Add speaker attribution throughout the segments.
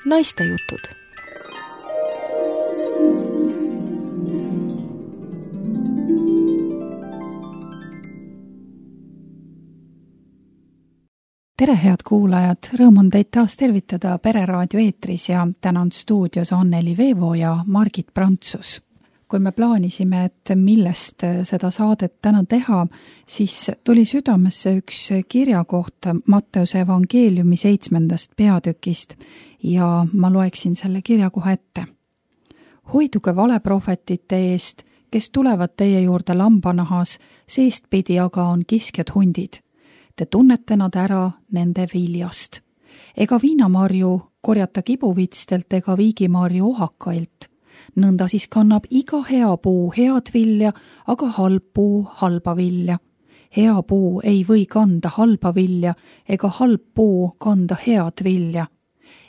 Speaker 1: Naistejutud.
Speaker 2: Tere, head kuulajad! Rõõm on teid taas tervitada Pereraadio eetris ja täna on stuudios Anneli Veevo ja Margit Prantsus. Kui me plaanisime, et millest seda saadet täna teha, siis tuli südamesse üks kirjakoht Matteuse evangeeliumi 7. peatükist ja ma loeksin selle kirjakoha ette. Hoiduge valeprohvetite eest, kes tulevad teie juurde lambanahas, seestpidi aga on kiskjad hundid. Te tunnete nad ära nende viljast. Ega viinamarju korjata kibuvitstelt ega viigimarju ohakailt. Nõnda siis kannab iga hea puu head vilja, aga halb puu halba vilja. Hea puu ei või kanda halba vilja, ega halb puu kanda head vilja.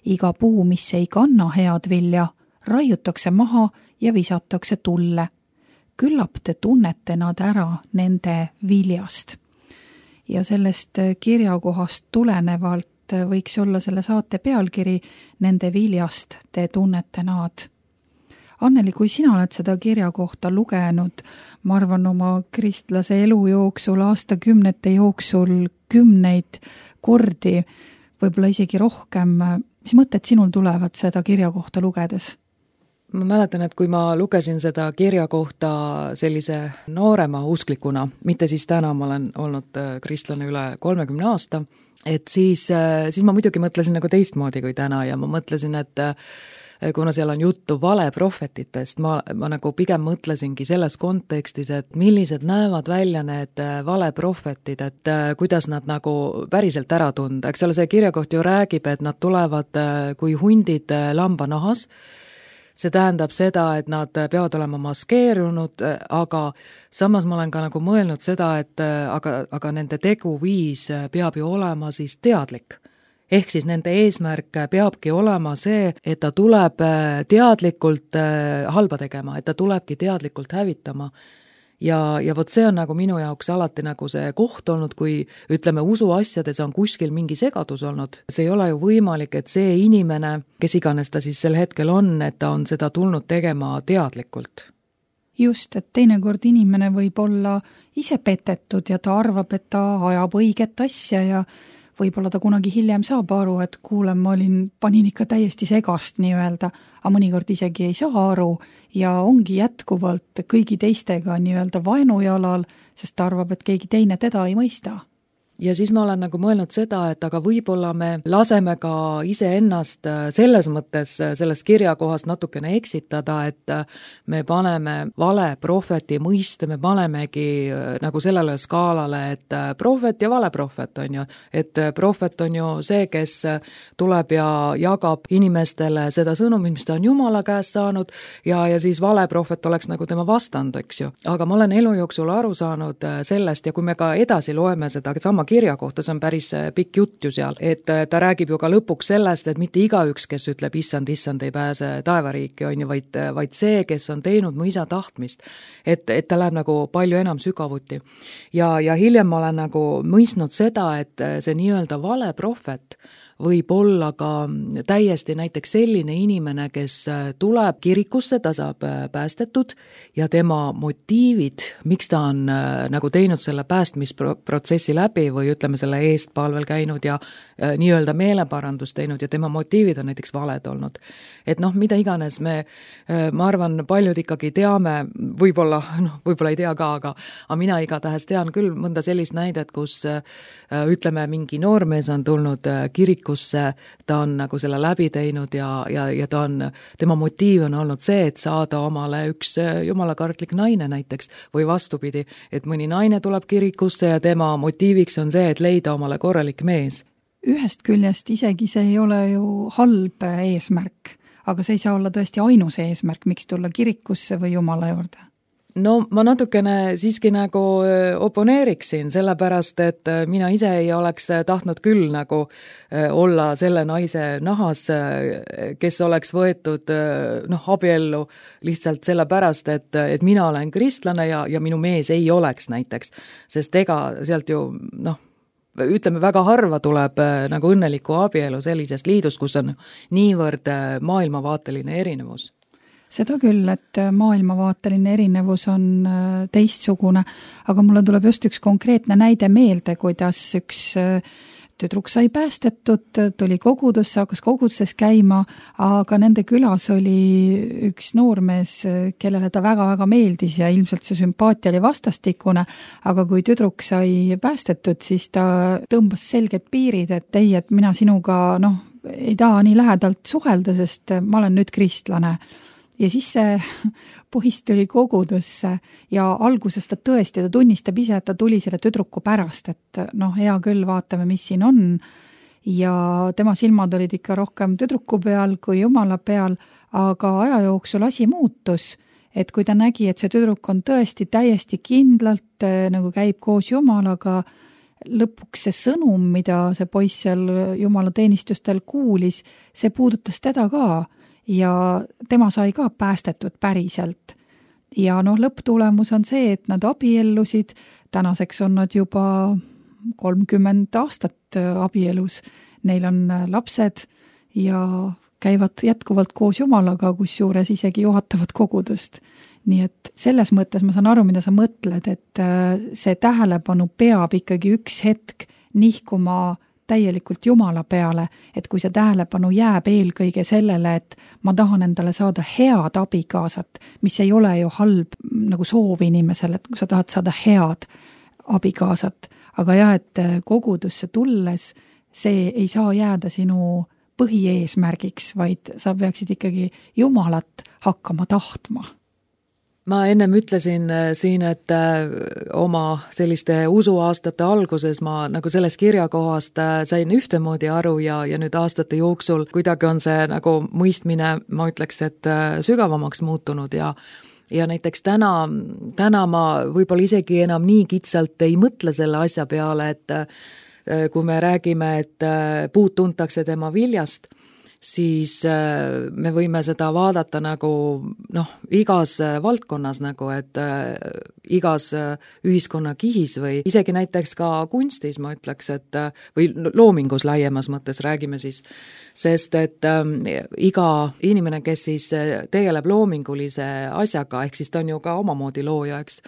Speaker 2: Iga puu, mis ei kanna head vilja, raiutakse maha ja visatakse tulle. Küllap te tunnete nad ära nende viljast. Ja sellest kirjakohast tulenevalt võiks olla selle saate pealkiri Nende viljast te tunnete nad. Anneli, kui sina oled seda kirjakohta lugenud, ma arvan oma kristlase elu jooksul, aastakümnete jooksul 10 kordi, võib-olla isegi rohkem, mis mõtted sinul tulevad seda kirjakohta lugedes?
Speaker 3: Ma mäletan, et kui ma lugesin seda kirja kohta sellise noorema usklikuna, mitte siis täna, ma olen olnud kristlane üle 30 aasta, et siis ma muidugi mõtlesin nagu teistmoodi kui täna ja ma mõtlesin, et kuna seal on juttu valeprohvetitest, ma nagu pigem mõtlesingi selles kontekstis, et millised näevad välja need valeprohvetid, et kuidas nad nagu päriselt ära tunda. Eks ole, see kirjakoht ju räägib, et nad tulevad kui hundid lambanahas. See tähendab seda, et nad peavad olema maskeerunud, aga samas ma olen ka nagu mõelnud seda, et aga nende teguviis peab ju olema siis teadlik. Ehk siis nende eesmärk peabki olema see, et ta tuleb teadlikult halba tegema, et ta tulebki teadlikult hävitama. Ja vot see on nagu minu jaoks alati nagu see koht olnud, kui ütleme usuasjades on kuskil mingi segadus olnud. See ei ole ju võimalik, et see inimene, kes iganes ta siis sel hetkel on, et ta on seda tulnud tegema teadlikult.
Speaker 2: Just, et teinekord inimene võib olla ise petetud ja ta arvab, et ta ajab õiget asja ja võib-olla ta kunagi hiljem saab aru, et kuule, ma panin ikka täiesti segast nii-öelda, aga mõnikord isegi ei saa aru ja ongi jätkuvalt kõigi teistega nii-öelda vaenujalal, sest ta arvab, et keegi teine teda ei mõista.
Speaker 3: Ja siis ma olen nagu mõelnud seda, et aga võib-olla me laseme ka iseennast selles mõttes sellest kirjakohast natukene eksitada, et me paneme vale prohveti mõiste, me panemegi nagu sellele skaalale, et prohvet ja vale prohvet on ju, et prohvet on ju see, kes tuleb ja jagab inimestele seda sõnumit, mis ta on Jumala käest saanud ja siis vale prohvet oleks nagu tema vastand, eks ju. Aga ma olen elu jooksul aru saanud sellest ja kui me ka edasi loeme seda sama kirja kohta, see on päris pikk jutt ju seal, et ta räägib ju ka lõpuks sellest, et mitte igaüks, kes ütleb issand ei pääse taevariiki, on ju, vaid see, kes on teinud mu isa tahtmist, et ta läheb nagu palju enam sügavuti. Ja hiljem ma olen nagu mõistnud seda, et see nii-öelda vale prohvet võib olla ka täiesti näiteks selline inimene, kes tuleb kirikusse, ta saab päästetud ja tema motiivid, miks ta on nagu teinud selle päästmisprotsessi läbi või ütleme selle eest palvel käinud ja nii-öelda meeleparandust teinud ja tema motiivid on näiteks valed olnud. Et mida iganes ma arvan, paljud ikkagi teame, võib-olla ei tea ka, aga mina igatahes tean küll mõnda sellist näidet, kus ütleme mingi noormees on tulnud kirikusse, ta on nagu selle läbi teinud ja tema motiiv on olnud see, et saada omale üks jumalakartlik naine näiteks või vastupidi, et mõni naine tuleb kirikusse ja tema motiiviks on see, et leida omale korralik mees.
Speaker 2: Ühest küljest isegi see ei ole ju halb eesmärk, aga see ei saa olla tõesti ainus eesmärk, miks tulla kirikusse või Jumala juurde.
Speaker 3: No ma natukene siiski nagu oponeeriksin, sellepärast, et mina ise ei oleks tahtnud küll nagu olla selle naise nahas, kes oleks võetud abiellu lihtsalt sellepärast, et mina olen kristlane ja minu mees ei oleks näiteks, sest ega sealt ju ütleme, väga harva tuleb nagu õnneliku abielu sellisest liidust, kus on niivõrd maailmavaateline erinevus.
Speaker 2: Seda küll, et maailmavaateline erinevus on teistsugune, aga mulle tuleb just üks konkreetne näide meelde, kuidas üks tüdruk sai päästetud, tuli kogudusse, hakkas koguduses käima, aga nende külas oli üks noormees, kellele ta väga-väga meeldis ja ilmselt see sümpaatia oli vastastikune, aga kui tüdruk sai päästetud, siis ta tõmbas selged piirid, et ei, et mina sinuga ei taha nii lähedalt suhelda, sest ma olen nüüd kristlane. Ja siis see poiss tuli kogudusse ja alguses ta tõesti, ta tunnistab ise, et ta tuli selle tüdruku pärast, et hea küll, vaatame, mis siin on. Ja tema silmad olid ikka rohkem tüdruku peal kui jumala peal, aga aja jooksul asi muutus, et kui ta nägi, et see tüdruk on tõesti täiesti kindlalt nagu käib koos jumalaga, lõpuks see sõnum, mida see poiss seal jumala teenistustel kuulis, see puudutas teda ka. Ja tema sai ka päästetud päriselt. Ja lõpptulemus on see, et nad abiellusid, tänaseks on nad juba 30 aastat abielus, neil on lapsed ja käivad jätkuvalt koos jumalaga, kusjuures isegi juhatavad kogudust. Nii et selles mõttes ma saan aru, mida sa mõtled, et see tähelepanu peab ikkagi üks hetk nihkuma täielikult jumala peale, et kui see tähelepanu jääb eelkõige sellele, et ma tahan endale saada head abikaasat, mis ei ole ju halb nagu soov inimesele, et kui sa tahad saada head abikaasat, aga jah, et kogudusse tulles see ei saa jääda sinu põhieesmärgiks, vaid sa peaksid ikkagi jumalat hakkama tahtma.
Speaker 3: Ma ennem ütlesin siin, et oma selliste usuaastate alguses ma nagu sellest kirjakohast sain ühtemoodi aru ja nüüd aastate jooksul kuidagi on see nagu mõistmine, ma ütleks, et sügavamaks muutunud ja näiteks täna ma võib-olla isegi enam nii kitsalt ei mõtle selle asja peale, et kui me räägime, et puud tuntakse tema viljast, siis me võime seda vaadata nagu igas valdkonnas nagu, et igas ühiskonna kihis või isegi näiteks ka kunstis, ma ütleks, et või loomingus laiemas mõttes räägime siis, sest et iga inimene, kes siis tegeleb loomingulise asjaga, ehk siis ta on ju ka omamoodi looja, eks,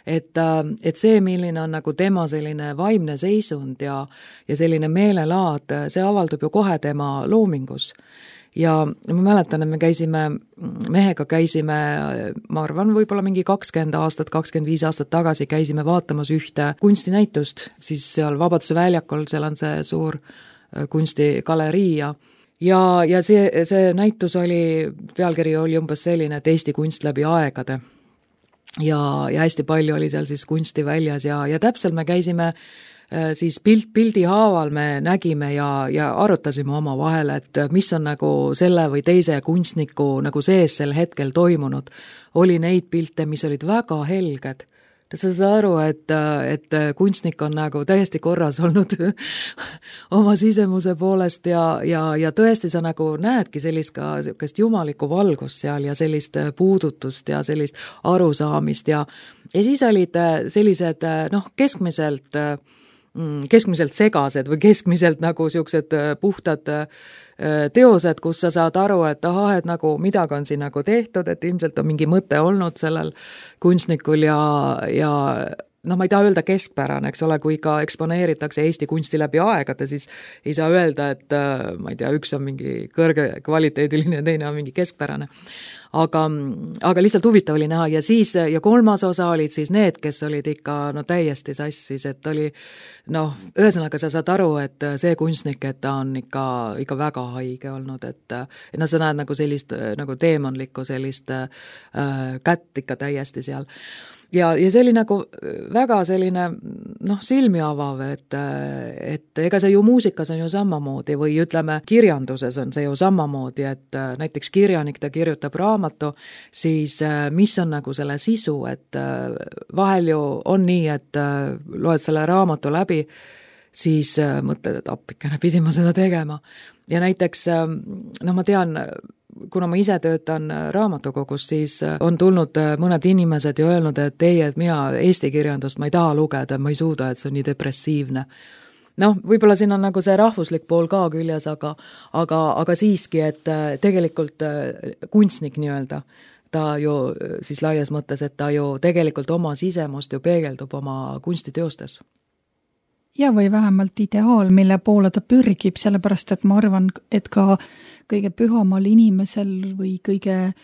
Speaker 3: et see, milline on nagu tema selline vaimne seisund ja selline meelelaad, see avaldub ju kohe tema loomingus. Ja ma mäletan, et me mehega käisime, ma arvan, võib-olla mingi 20 aastat, 25 aastat tagasi käisime vaatamas ühte kunstinäitust, siis seal Vabaduse väljakul, seal on see suur kunstigalerii ja see näitus pealkiri oli umbes selline, et Eesti kunst läbi aegade. Ja hästi palju oli seal siis kunsti väljas ja täpselt me käisime siis pildi haaval me nägime ja arutasime oma vahel, et mis on nagu selle või teise kunstniku nagu sees sel hetkel toimunud. Oli neid pilte, mis olid väga helged. Sa saad aru, et kunstnik on nagu täiesti korras olnud oma sisemuse poolest ja tõesti sa nagu näedki sellist jumalikku valgust seal ja sellist puudutust ja sellist arusaamist ja siis olid sellised keskmiselt segased või keskmiselt nagu siuksed puhtad teosed, kus sa saad aru, et et nagu midagi on siin nagu tehtud, et ilmselt on mingi mõte olnud sellel kunstnikul ja ma ei taha öelda keskpärane, eks ole, kui ka eksponeeritakse Eesti kunsti läbi aegade, siis ei saa öelda, et ma ei tea, üks on mingi kõrge kvaliteediline ja teine on mingi keskpärane. Aga lihtsalt huvitav oli näha ja kolmas osa olid siis need, kes olid ikka täiesti sassis, et oli ühesõnaga sa saad aru, et see kunstnik, et ta on ikka väga haige olnud, et sa näed nagu sellist nagu teemonlikku sellist kätt ikka täiesti seal. Ja see oli nagu väga selline silmi avav, et ega see ju muusikas on ju samamoodi või ütleme, kirjanduses on see ju samamoodi, et näiteks kirjanik, ta kirjutab raamatu, siis mis on nagu selle sisu, et vahel ju on nii, et loed selle raamatu läbi, siis mõtled, et appikene pidi ma seda tegema. Ja näiteks, ma tean, kuna ma ise töötan raamatukogus, siis on tulnud mõned inimesed ja öelnud, et ei, et mina eesti kirjandust ma ei taha lugeda, ma ei suuda, et see on nii depressiivne. võib-olla siin on nagu see rahvuslik pool ka küljes, aga siiski, et tegelikult kunstnik nii-öelda, ta ju siis laias mõttes, et ta ju tegelikult oma sisemust ju peegeldub oma kunstiteostes.
Speaker 2: Ja või vähemalt ideaal, mille poole ta pürgib, sellepärast et ma arvan, et ka kõige pühamal inimesel või kõige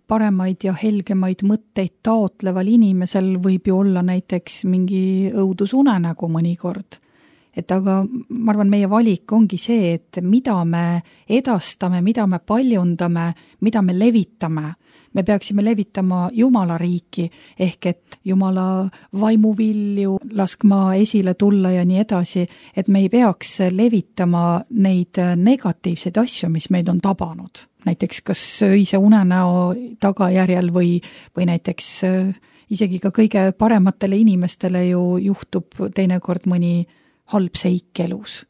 Speaker 2: paremaid ja helgemaid mõtteid taotleval inimesel võib ju olla näiteks mingi õudusunenägu mõnikord. Et aga ma arvan, meie valik ongi see, et mida me edastame, mida me paljundame, mida me levitame. Me peaksime levitama Jumala riiki, ehk et Jumala vaimuvilju laskma esile tulla ja nii edasi, et me ei peaks levitama neid negatiivseid asju, mis meid on tabanud. Näiteks kas öise unenäo tagajärjel või näiteks isegi ka kõige parematele inimestele ju juhtub teinekord mõni halb seik elus.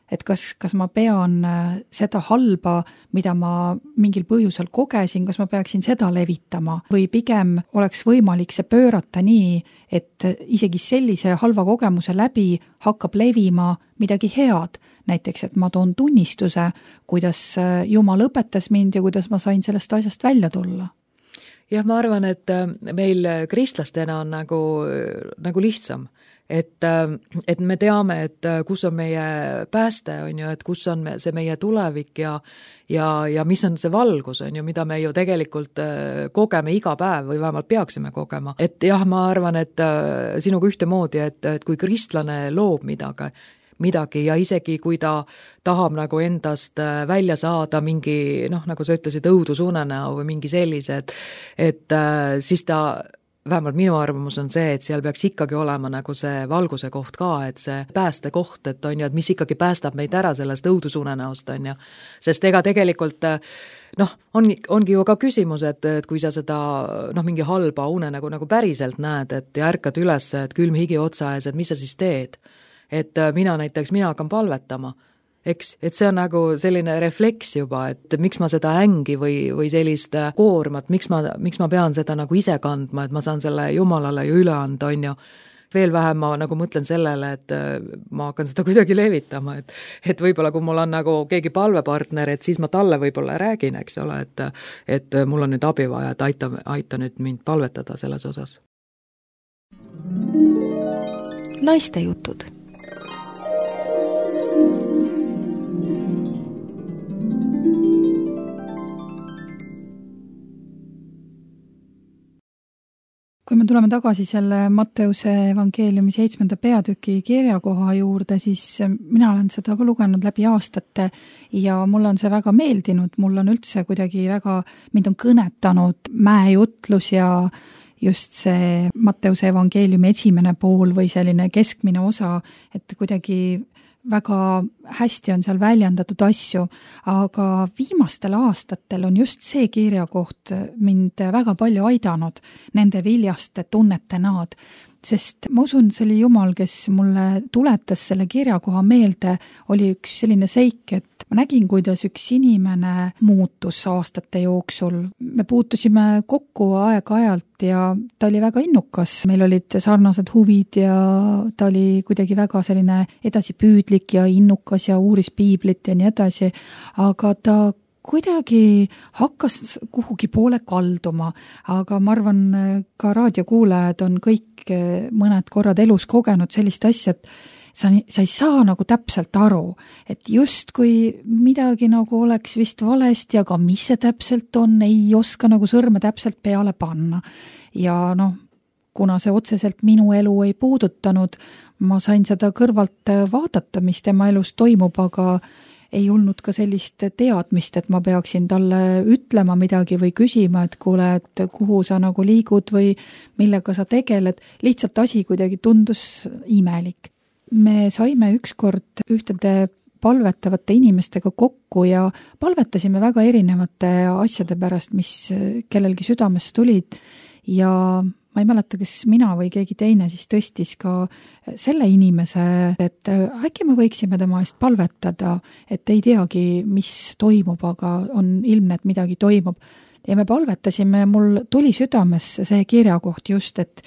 Speaker 2: Et kas ma pean seda halba, mida ma mingil põhjusel kogesin, kas ma peaksin seda levitama või pigem oleks võimalik see pöörata nii, et isegi sellise halva kogemuse läbi hakkab levima midagi head. Näiteks, et ma toon tunnistuse, kuidas Jumal õpetas mind ja kuidas ma sain sellest asjast välja tulla.
Speaker 3: Jah, ma arvan, et meil kristlastena on nagu lihtsam. Et me teame, et kus on meie pääste, on ju, et kus on see meie tulevik ja mis on see valgus, on ju, mida me ju tegelikult kogeme iga päev või vähemalt peaksime kogema. Et jah, ma arvan, et sinuga ühtemoodi, et kui kristlane loob midagi ja isegi kui ta tahab nagu endast välja saada mingi, nagu sa ütlesid, õudusunenäo või mingi sellise, et siis ta vähemalt minu arvamus on see, et seal peaks ikkagi olema nagu see valguse koht ka, et see pääste koht, et on ju, et mis ikkagi päästab meid ära sellest õudusunenäost, on ju. Sest ega tegelikult, ongi ju ka küsimus, et kui sa seda, mingi halba une nagu päriselt näed, et ja ärkad üles, et külm higi otsa ees, et mis sa siis teed? Et mina hakkan palvetama. Eks, et see on nagu selline refleks juba, et miks ma seda ängi või sellist koormat, miks ma pean seda nagu ise kandma, et ma saan selle Jumalale ju üle anda, on ju. Veel vähem ma nagu mõtlen sellele, et ma hakkan seda kuidagi levitama, et võib-olla kui mul on nagu keegi palvepartner, et siis ma talle võib-olla räägin, eks ole, et mul on nüüd abi vaja, et aita nüüd mind palvetada selles osas.
Speaker 1: Naiste jutud.
Speaker 2: Kui me tuleme tagasi selle Matteuse evangeeliumi 7. peatüki kirjakoha juurde, siis mina olen seda ka lugenud läbi aastate ja mulle on see väga meeldinud, mul on üldse kuidagi mind on kõnetanud mäejutlus ja just see Matteuse evangeeliumi esimene pool või selline keskmine osa, et kuidagi väga hästi on seal väljendatud asju, aga viimastel aastatel on just see kirjakoht mind väga palju aidanud nende viljaste tunnete naad, sest ma usun, see oli Jumal, kes mulle tuletas selle kirjakoha meelde, oli üks selline seik, et ma nägin, kuidas üks inimene muutus aastate jooksul. Me puutusime kokku aeg-ajalt ja ta oli väga innukas. Meil olid sarnased huvid ja ta oli kuidagi väga selline edasipüüdlik ja innukas ja uuris piiblit ja nii edasi, aga ta kuidagi hakkas kuhugi poole kalduma, aga ma arvan, ka raadiokuulajad on kõik mõned korrad elus kogenud sellist asja, et sa ei saa nagu täpselt aru, et just kui midagi nagu oleks vist valesti, aga mis see täpselt on, ei oska nagu sõrme täpselt peale panna. Ja kuna see otseselt minu elu ei puudutanud, ma sain seda kõrvalt vaadata, mis tema elus toimub, aga ei olnud ka sellist teadmist, et ma peaksin talle ütlema midagi või küsima, et kuule, et kuhu sa nagu liigud või millega sa tegeled. Lihtsalt asi kuidagi tundus imelik. Me saime ükskord ühtede palvetavate inimestega kokku ja palvetasime väga erinevate asjade pärast, mis kellelgi südamesse tulid ja ma ei mäleta, kas mina või keegi teine siis tõstis ka selle inimese, et äkki me võiksime tema eest palvetada, et ei teagi, mis toimub, aga on ilmne, et midagi toimub. Ja me palvetasime ja mul tuli südamesse see kirjakoht just, et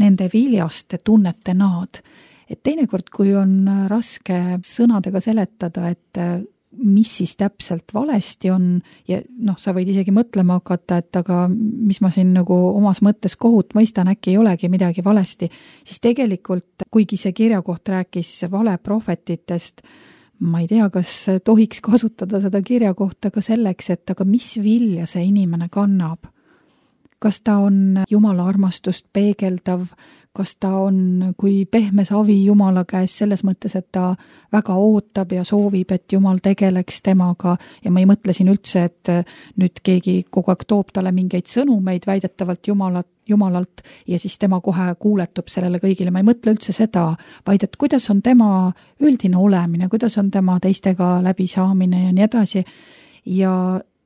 Speaker 2: nende viljaste tunnete naad, et teinekord, kui on raske sõnadega seletada, et mis siis täpselt valesti on ja sa võid isegi mõtlema hakata, et aga mis ma siin nagu omas mõttes kohut mõistan, äkki ei olegi midagi valesti, siis tegelikult, kuigi see kirjakoht rääkis valeprohvetitest, ma ei tea, kas tohiks kasutada seda kirjakohta ka selleks, et aga mis vilja see inimene kannab. Kas ta on Jumala armastust peegeldav, kas ta on kui pehme savi Jumala käes selles mõttes, et ta väga ootab ja soovib, et Jumal tegeleks temaga ja ma ei mõtle siin üldse, et nüüd keegi kogu aeg toob talle mingeid sõnumeid väidetavalt Jumalalt ja siis tema kohe kuuletub sellele kõigile. Ma ei mõtle üldse seda, vaid et kuidas on tema üldine olemine, kuidas on tema teistega läbisaamine ja nii edasi. Ja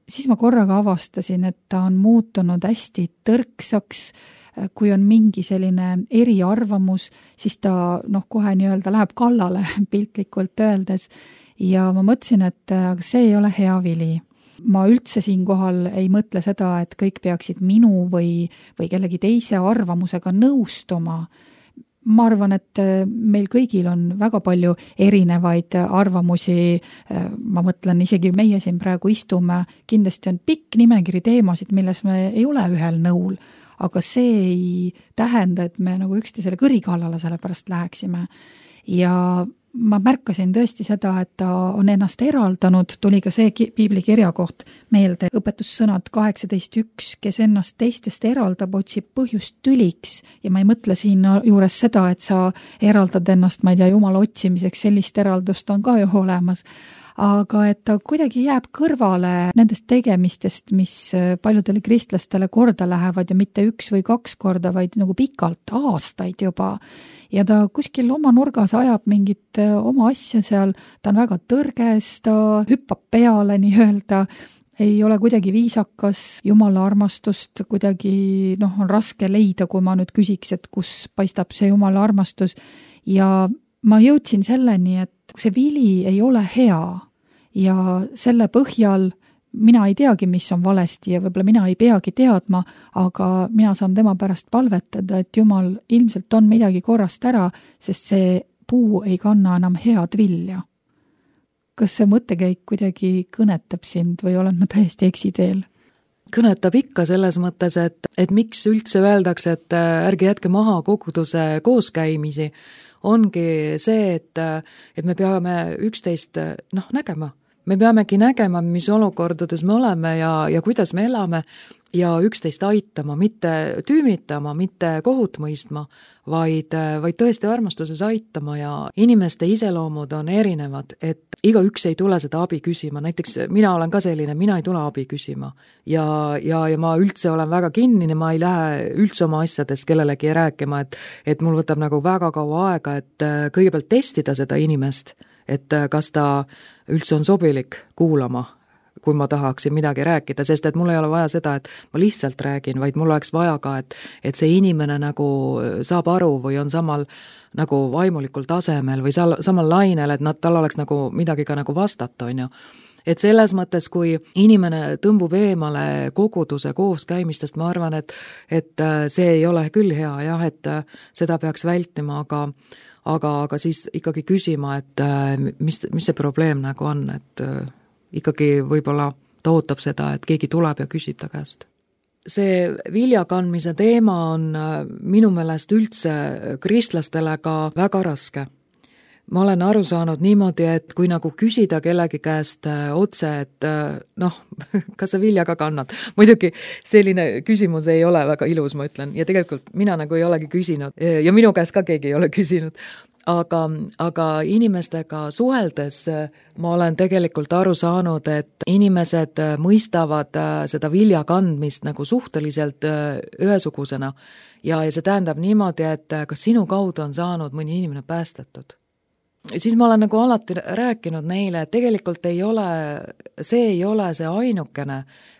Speaker 2: siis ma korraga avastasin, et ta on muutunud hästi tõrksaks, kui on mingi selline eriarvamus, siis ta kohe nii-öelda läheb kallale piltlikult öeldes ja ma mõtlesin, et see ei ole hea vili. Ma üldse siinkohal ei mõtle seda, et kõik peaksid minu või kellegi teise arvamusega nõustuma. Ma arvan, et meil kõigil on väga palju erinevaid arvamusi, ma mõtlen isegi meie siin praegu istume, kindlasti on pikk nimekiri teemasid, milles me ei ole ühel nõul, aga see ei tähenda, et me nagu üksteisele kõrikallale selle pärast läheksime. Ja ma märkasin tõesti seda, et ta on ennast eraldanud, tuli ka see piibli kirjakoht meelde, õpetussõnad 18.1, kes ennast teistest eraldab, otsib põhjust tüliks ja ma ei mõtle siin juures seda, et sa eraldad ennast, ma ei tea, Jumala otsimiseks, sellist eraldust on ka ju olemas, aga et ta kuidagi jääb kõrvale nendest tegemistest, mis paljudele kristlastele korda lähevad ja mitte 1 või 2 korda, vaid nagu pikalt, aastaid juba. Ja ta kuskil oma nurgas ajab mingit oma asja seal, ta on väga tõrges, ta hüppab peale nii-öelda, ei ole kuidagi viisakas, Jumala armastust kuidagi on raske leida, kui ma nüüd küsiks, et kus paistab see Jumala armastus. Ja ma jõudsin selleni, et see vili ei ole hea ja selle põhjal mina ei teagi, mis on valesti ja võib-olla mina ei peagi teadma, aga mina saan tema pärast palvetada, et Jumal ilmselt on midagi korrast ära, sest see puu ei kanna enam head vilja. Kas see mõttekäik kuidagi kõnetab sind või olen ma täiesti eksiteel?
Speaker 3: Kõnetab ikka selles mõttes, et miks üldse öeldakse, et ärge jätke maha koguduse kooskäimisi, ongi see, et me peame üksteist nägema. Me peamegi nägema, mis olukordades me oleme ja kuidas me elame ja üksteist aitama, mitte tüümitama, mitte kohut mõistma, vaid tõesti armastuses aitama ja inimeste iseloomud on erinevad, et igaüks ei tule seda abi küsima, näiteks mina olen ka selline, mina ei tule abi küsima ja ma üldse olen väga kinnine, ma ei lähe üldse oma asjadest kellelegi rääkima, et mul võtab nagu väga kaua aega, et kõigepealt testida seda inimest, et kas ta üldse on sobilik kuulama, kui ma tahaksin midagi rääkida, sest et mul ei ole vaja seda, et ma lihtsalt räägin, vaid mul oleks vaja ka, et see inimene nagu saab aru või on samal nagu vaimulikul tasemel või samal lainel, et tal oleks nagu midagi ka nagu vastata, on ju. Et selles mõttes, kui inimene tõmbub eemale koguduse kooskäimistest, ma arvan, et see ei ole küll hea, jah, et seda peaks vältima, aga siis ikkagi küsima, et mis see probleem nagu on, et ikkagi võib-olla ta ootab seda, et keegi tuleb ja küsib ta käest. See viljakandmise teema on minu meelest üldse kristlastele ka väga raske. Ma olen aru saanud niimoodi, et kui nagu küsida kellegi käest otse, et kas sa vilja ka kannad? Muidugi selline küsimus ei ole väga ilus, ma ütlen, ja tegelikult mina nagu ei olegi küsinud ja minu käest ka keegi ei ole küsinud. Aga inimestega suheldes ma olen tegelikult aru saanud, et inimesed mõistavad seda vilja kandmist nagu suhteliselt ühesugusena ja see tähendab niimoodi, et kas sinu kaudu on saanud mõni inimene päästetud. Siis ma olen nagu alati rääkinud neile, et tegelikult see ei ole see ainukene,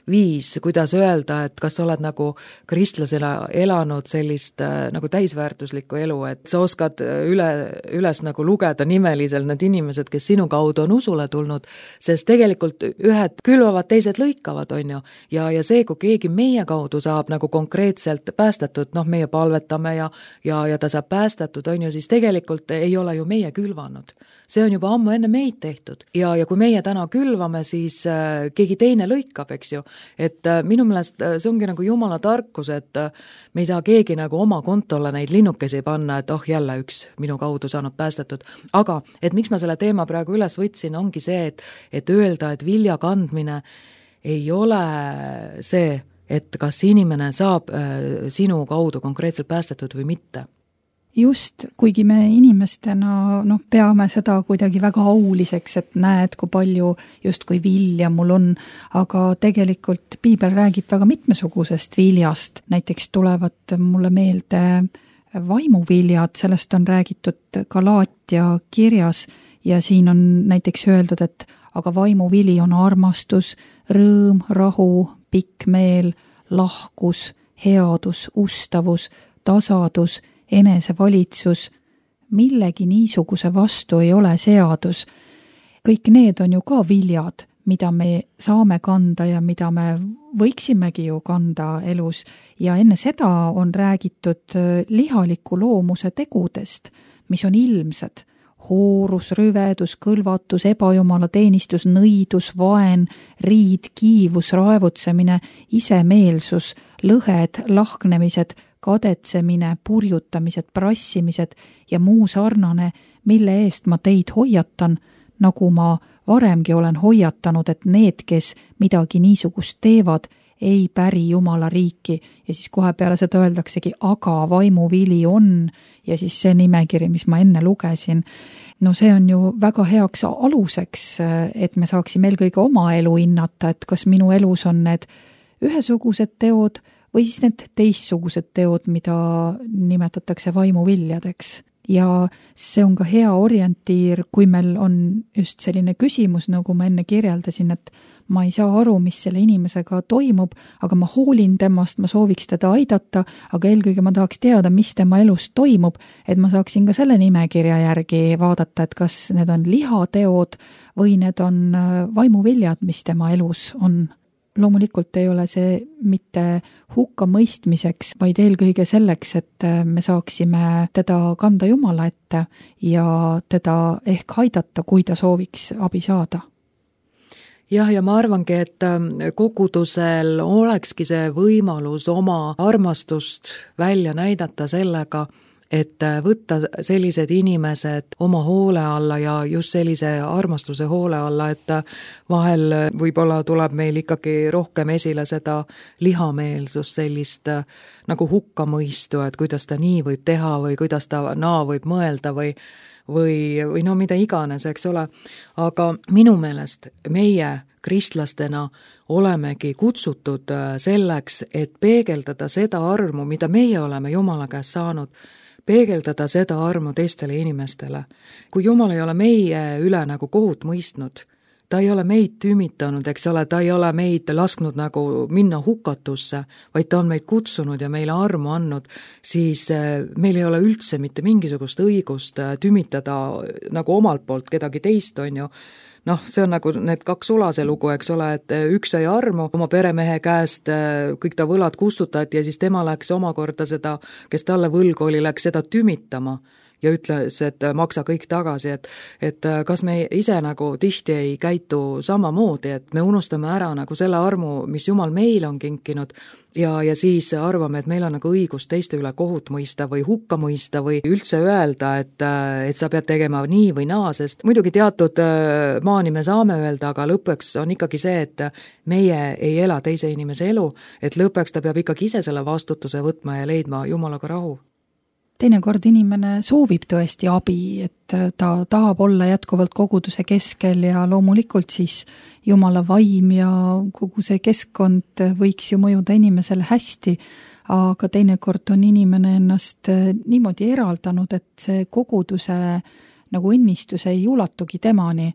Speaker 3: viis, kuidas öelda, et kas sa oled nagu kristlasena elanud sellist nagu täisväärtuslikku elu, et sa oskad üles nagu lugeda nimeliselt need inimesed, kes sinu kaudu on usule tulnud, sest tegelikult ühed külvavad, teised lõikavad, on ju. Ja see, kui keegi meie kaudu saab nagu konkreetselt päästetud, meie palvetame ja ta saab päästetud, on ju, siis tegelikult ei ole ju meie külvanud. See on juba ammu enne meid tehtud ja kui meie täna külvame, siis keegi teine lõikab, eks ju. Et minu meelest see ongi nagu Jumala tarkus, et me ei saa keegi nagu oma kontole neid linnukesi panna, et jälle üks minu kaudu saanud päästetud. Aga, et miks ma selle teema praegu üles võtsin, ongi see, et öelda, et vilja kandmine ei ole see, et kas inimene saab sinu kaudu konkreetselt päästetud või mitte.
Speaker 2: Just, kuigi me inimestena peame seda kuidagi väga auliseks, et näed, kui palju justkui vilja mul on, aga tegelikult Piibel räägib väga mitmesugusest viljast. Näiteks tulevad mulle meelde vaimuviljad, sellest on räägitud Galaatia kirjas ja siin on näiteks öeldud, et aga vaimuvili on armastus, rõõm, rahu, pikk meel, lahkus, headus, ustavus, tasadus, enesevalitsus, millegi niisuguse vastu ei ole seadus. Kõik need on ju ka viljad, mida me saame kanda ja mida me võiksimegi ju kanda elus. Ja enne seda on räägitud lihaliku loomuse tegudest, mis on ilmsed. Hoorus, rüvedus, kõlvatus, ebajumala teenistus, nõidus, vaen, riid, kiivus, raevutsemine, isemeelsus, lõhed, lahknemised, kadetsemine, purjutamised, prassimised ja muu sarnane, mille eest ma teid hoiatan, nagu ma varemgi olen hoiatanud, et need, kes midagi niisugust teevad, ei päri Jumala riiki. Ja siis kohe peale seda öeldaksegi, aga vaimuvili on, ja siis see nimekiri, mis ma enne lugesin. See on ju väga heaks aluseks, et me saaksime eelkõige oma elu hinnata, et kas minu elus on need ühesugused teod, või siis need teistsugused teod, mida nimetatakse vaimuviljadeks. Ja see on ka hea orientiir, kui meil on just selline küsimus, nagu ma enne kirjeldasin, et ma ei saa aru, mis selle inimesega toimub, aga ma hoolin temast, ma sooviks teda aidata, aga eelkõige ma tahaks teada, mis tema elus toimub, et ma saaksin ka selle nimekirja järgi vaadata, et kas need on lihateod või need on vaimuviljad, mis tema elus on. Loomulikult ei ole see mitte hukka mõistmiseks, vaid eelkõige selleks, et me saaksime teda kanda Jumala ette ja teda ehk aidata, kui ta sooviks abi saada.
Speaker 3: Ja ma arvangi, et kogudusel olekski see võimalus oma armastust välja näidata sellega, et võtta sellised inimesed oma hoole alla ja just sellise armastuse hoole alla, et vahel võib-olla tuleb meil ikkagi rohkem esile seda lihameelsust, sellist nagu hukkamõistu, et kuidas ta nii võib teha või kuidas ta naa võib mõelda või mida iganes, eks ole. Aga minu meelest meie kristlastena olemegi kutsutud selleks, et peegeldada seda armu, mida meie oleme Jumala käest saanud, peegeldada seda armu teistele inimestele. Kui Jumal ei ole meie üle nagu kohut mõistnud, ta ei ole meid tümitanud, eks ole, ta ei ole meid lasknud nagu minna hukatusse, vaid ta on meid kutsunud ja meile armu andnud, siis meil ei ole üldse mitte mingisugust õigust tümitada nagu omalt poolt kedagi teist, on ju. See on nagu need kaks Ulase lugu, eks ole, et üks sai armu oma peremehe käest, kõik ta võlad kustutati ja siis tema läks omakorda seda, kes talle võlgu oli, läks seda tümitama ja ütles, et maksa kõik tagasi, et kas me ise nagu tihti ei käitu samamoodi, et me unustame ära nagu selle armu, mis Jumal meil on kinkinud ja siis arvame, et meil on nagu õigus teiste üle kohut mõista või hukka mõista või üldse öelda, et sa pead tegema nii või naa, sest muidugi teatud maani me saame öelda, aga lõpuks on ikkagi see, et meie ei ela teise inimese elu, et lõpuks ta peab ikkagi ise selle vastutuse võtma ja leidma Jumalaga rahu.
Speaker 2: Teinekord inimene soovib tõesti abi, et ta tahab olla jätkuvalt koguduse keskel ja loomulikult siis Jumala vaim ja kogu see keskkond võiks ju mõjuda inimesele hästi, aga teinekord on inimene ennast niimoodi eraldanud, et see koguduse nagu õnnistus ei ulatugi temani.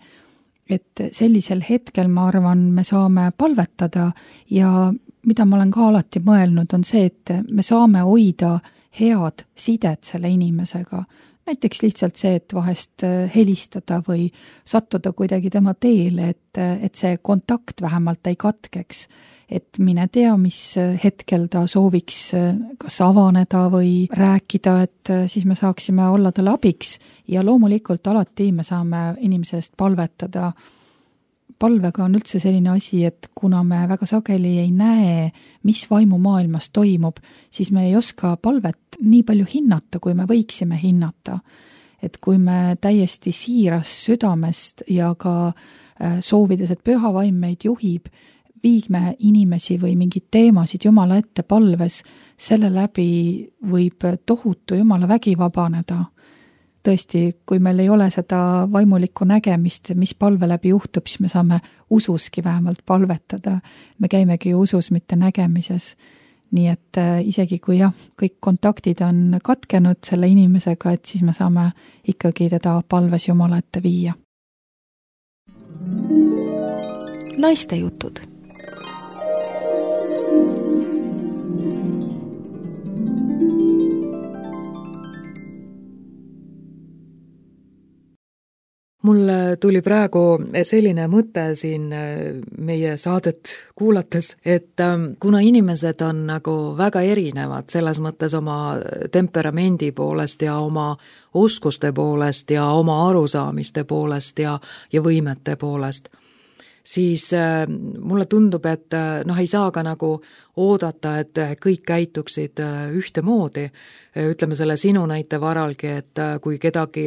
Speaker 2: et sellisel hetkel, ma arvan, me saame palvetada ja mida ma olen ka alati mõelnud, on see, et me saame hoida head sidet selle inimesega. Näiteks lihtsalt see, et vahest helistada või sattuda kuidagi tema teele, et see kontakt vähemalt ei katkeks. Et mine tea, mis hetkel ta sooviks kas avaneda või rääkida, et siis me saaksime olla talle abiks ja loomulikult alati me saame inimese eest palvetada. Palvega on üldse selline asi, et kuna me väga sageli ei näe, mis vaimumaailmas toimub, siis me ei oska palvet nii palju hinnata, kui me võiksime hinnata. Et kui me täiesti siiras südamest ja ka soovides, et püha vaim meid juhib, viigme inimesi või mingid teemasid Jumala ette palves, selle läbi võib tohutu Jumala vägi vabaneda. Tõesti, kui meil ei ole seda vaimulikku nägemist, mis palve läbi juhtub, siis me saame ususki vähemalt palvetada. Me käimegi usus, mitte nägemises. Nii et isegi kui kõik kontaktid on katkenud selle inimesega, et siis me saame ikkagi teda palves Jumala ette viia.
Speaker 1: Naiste jutud.
Speaker 3: Mul tuli praegu selline mõte siin meie saadet kuulates, et kuna inimesed on nagu väga erinevad selles mõttes oma temperamendi poolest ja oma oskuste poolest ja oma arusaamiste poolest ja võimete poolest, siis mulle tundub, et ei saa ka nagu oodata, et kõik käituksid ühtemoodi. Ütleme selle sinu näite varalgi, et kui kedagi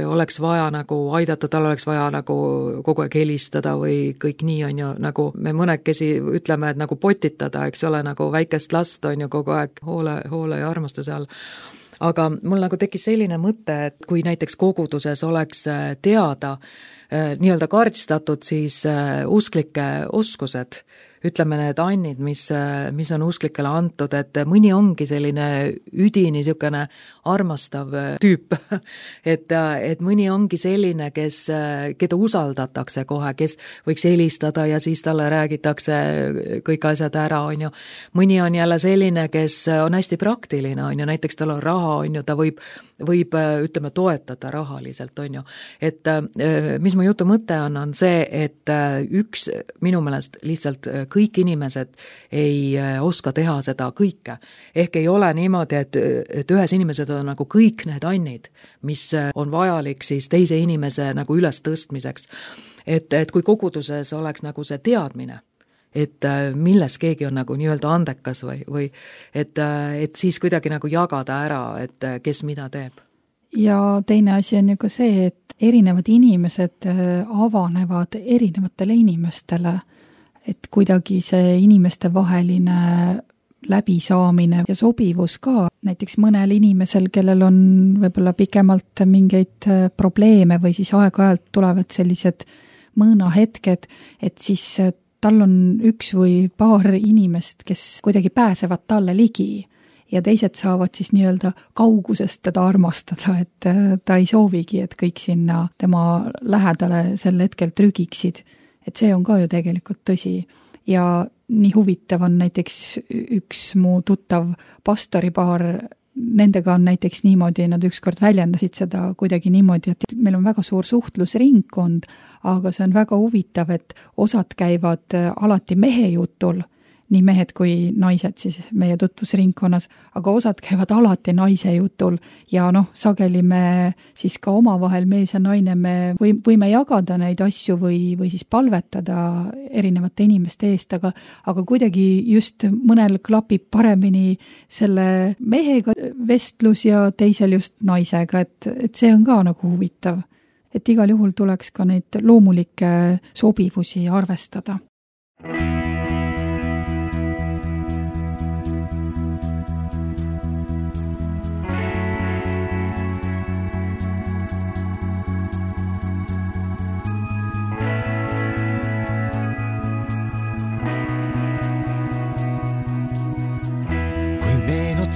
Speaker 3: oleks vaja nagu aidata, tal oleks vaja nagu kogu aeg helistada või kõik nii on ju, nagu me mõnekesi ütleme, et nagu potitada, eks ole, nagu väikest last on ju kogu aeg hoole ja armastuse all. Aga mul nagu tekkis selline mõte, et kui näiteks koguduses oleks teada, nii-öelda kaardistatud siis usklike oskused, ütleme need annid, mis on usklikele antud, et mõni ongi selline üdini niisugune armastav tüüp, et mõni ongi selline, keda usaldatakse kohe, kes võiks helistada ja siis talle räägitakse kõik asjad ära, on ju. Mõni on jälle selline, kes on hästi praktiline, on ju, näiteks tal on raha, on ju, ta võib ütleme, toetada rahaliselt, on ju. Et mis mu jutu mõte on see, et üks minu meelest lihtsalt kõik inimesed ei oska teha seda kõike. Ehk ei ole niimoodi, et ühes inimesed on nagu kõik need annid, mis on vajalik siis teise inimese nagu üles tõstmiseks. Et kui koguduses oleks nagu see teadmine, et milles keegi on nagu nii-öelda andekas või et siis kuidagi nagu jagada ära, et kes mida teeb.
Speaker 2: Ja teine asi on ju ka see, et erinevad inimesed avanevad erinevatele inimestele, et kuidagi see inimeste vaheline läbisaamine ja sobivus ka. Näiteks mõnel inimesel, kellel on võib-olla pikemalt mingeid probleeme või siis aeg-ajalt tulevad sellised mõõnahetked, et siis tal on üks või paar inimest, kes kuidagi pääsevad talle ligi ja teised saavad siis nii-öelda kaugusest teda armastada, et ta ei soovigi, et kõik sinna tema lähedale sel hetkel trügiksid. Et see on ka ju tegelikult tõsi. Ja nii huvitav on näiteks üks mu tuttav pastoripaar, nendega on näiteks niimoodi, nad ükskord väljendasid seda kuidagi niimoodi, et meil on väga suur suhtlusringkond, aga see on väga huvitav, et osad käivad alati mehe jutul, nii mehed kui naised siis meie tutvusringkonnas, aga osad käivad alati naise jutul ja sageli me siis ka omavahel mees ja naine me võime jagada neid asju või siis palvetada erinevate inimeste eest, aga kuidagi just mõnel klapib paremini selle mehega vestlus ja teisel just naisega, et see on ka nagu huvitav. Et igal juhul tuleks ka neid loomulikke sobivusi arvestada.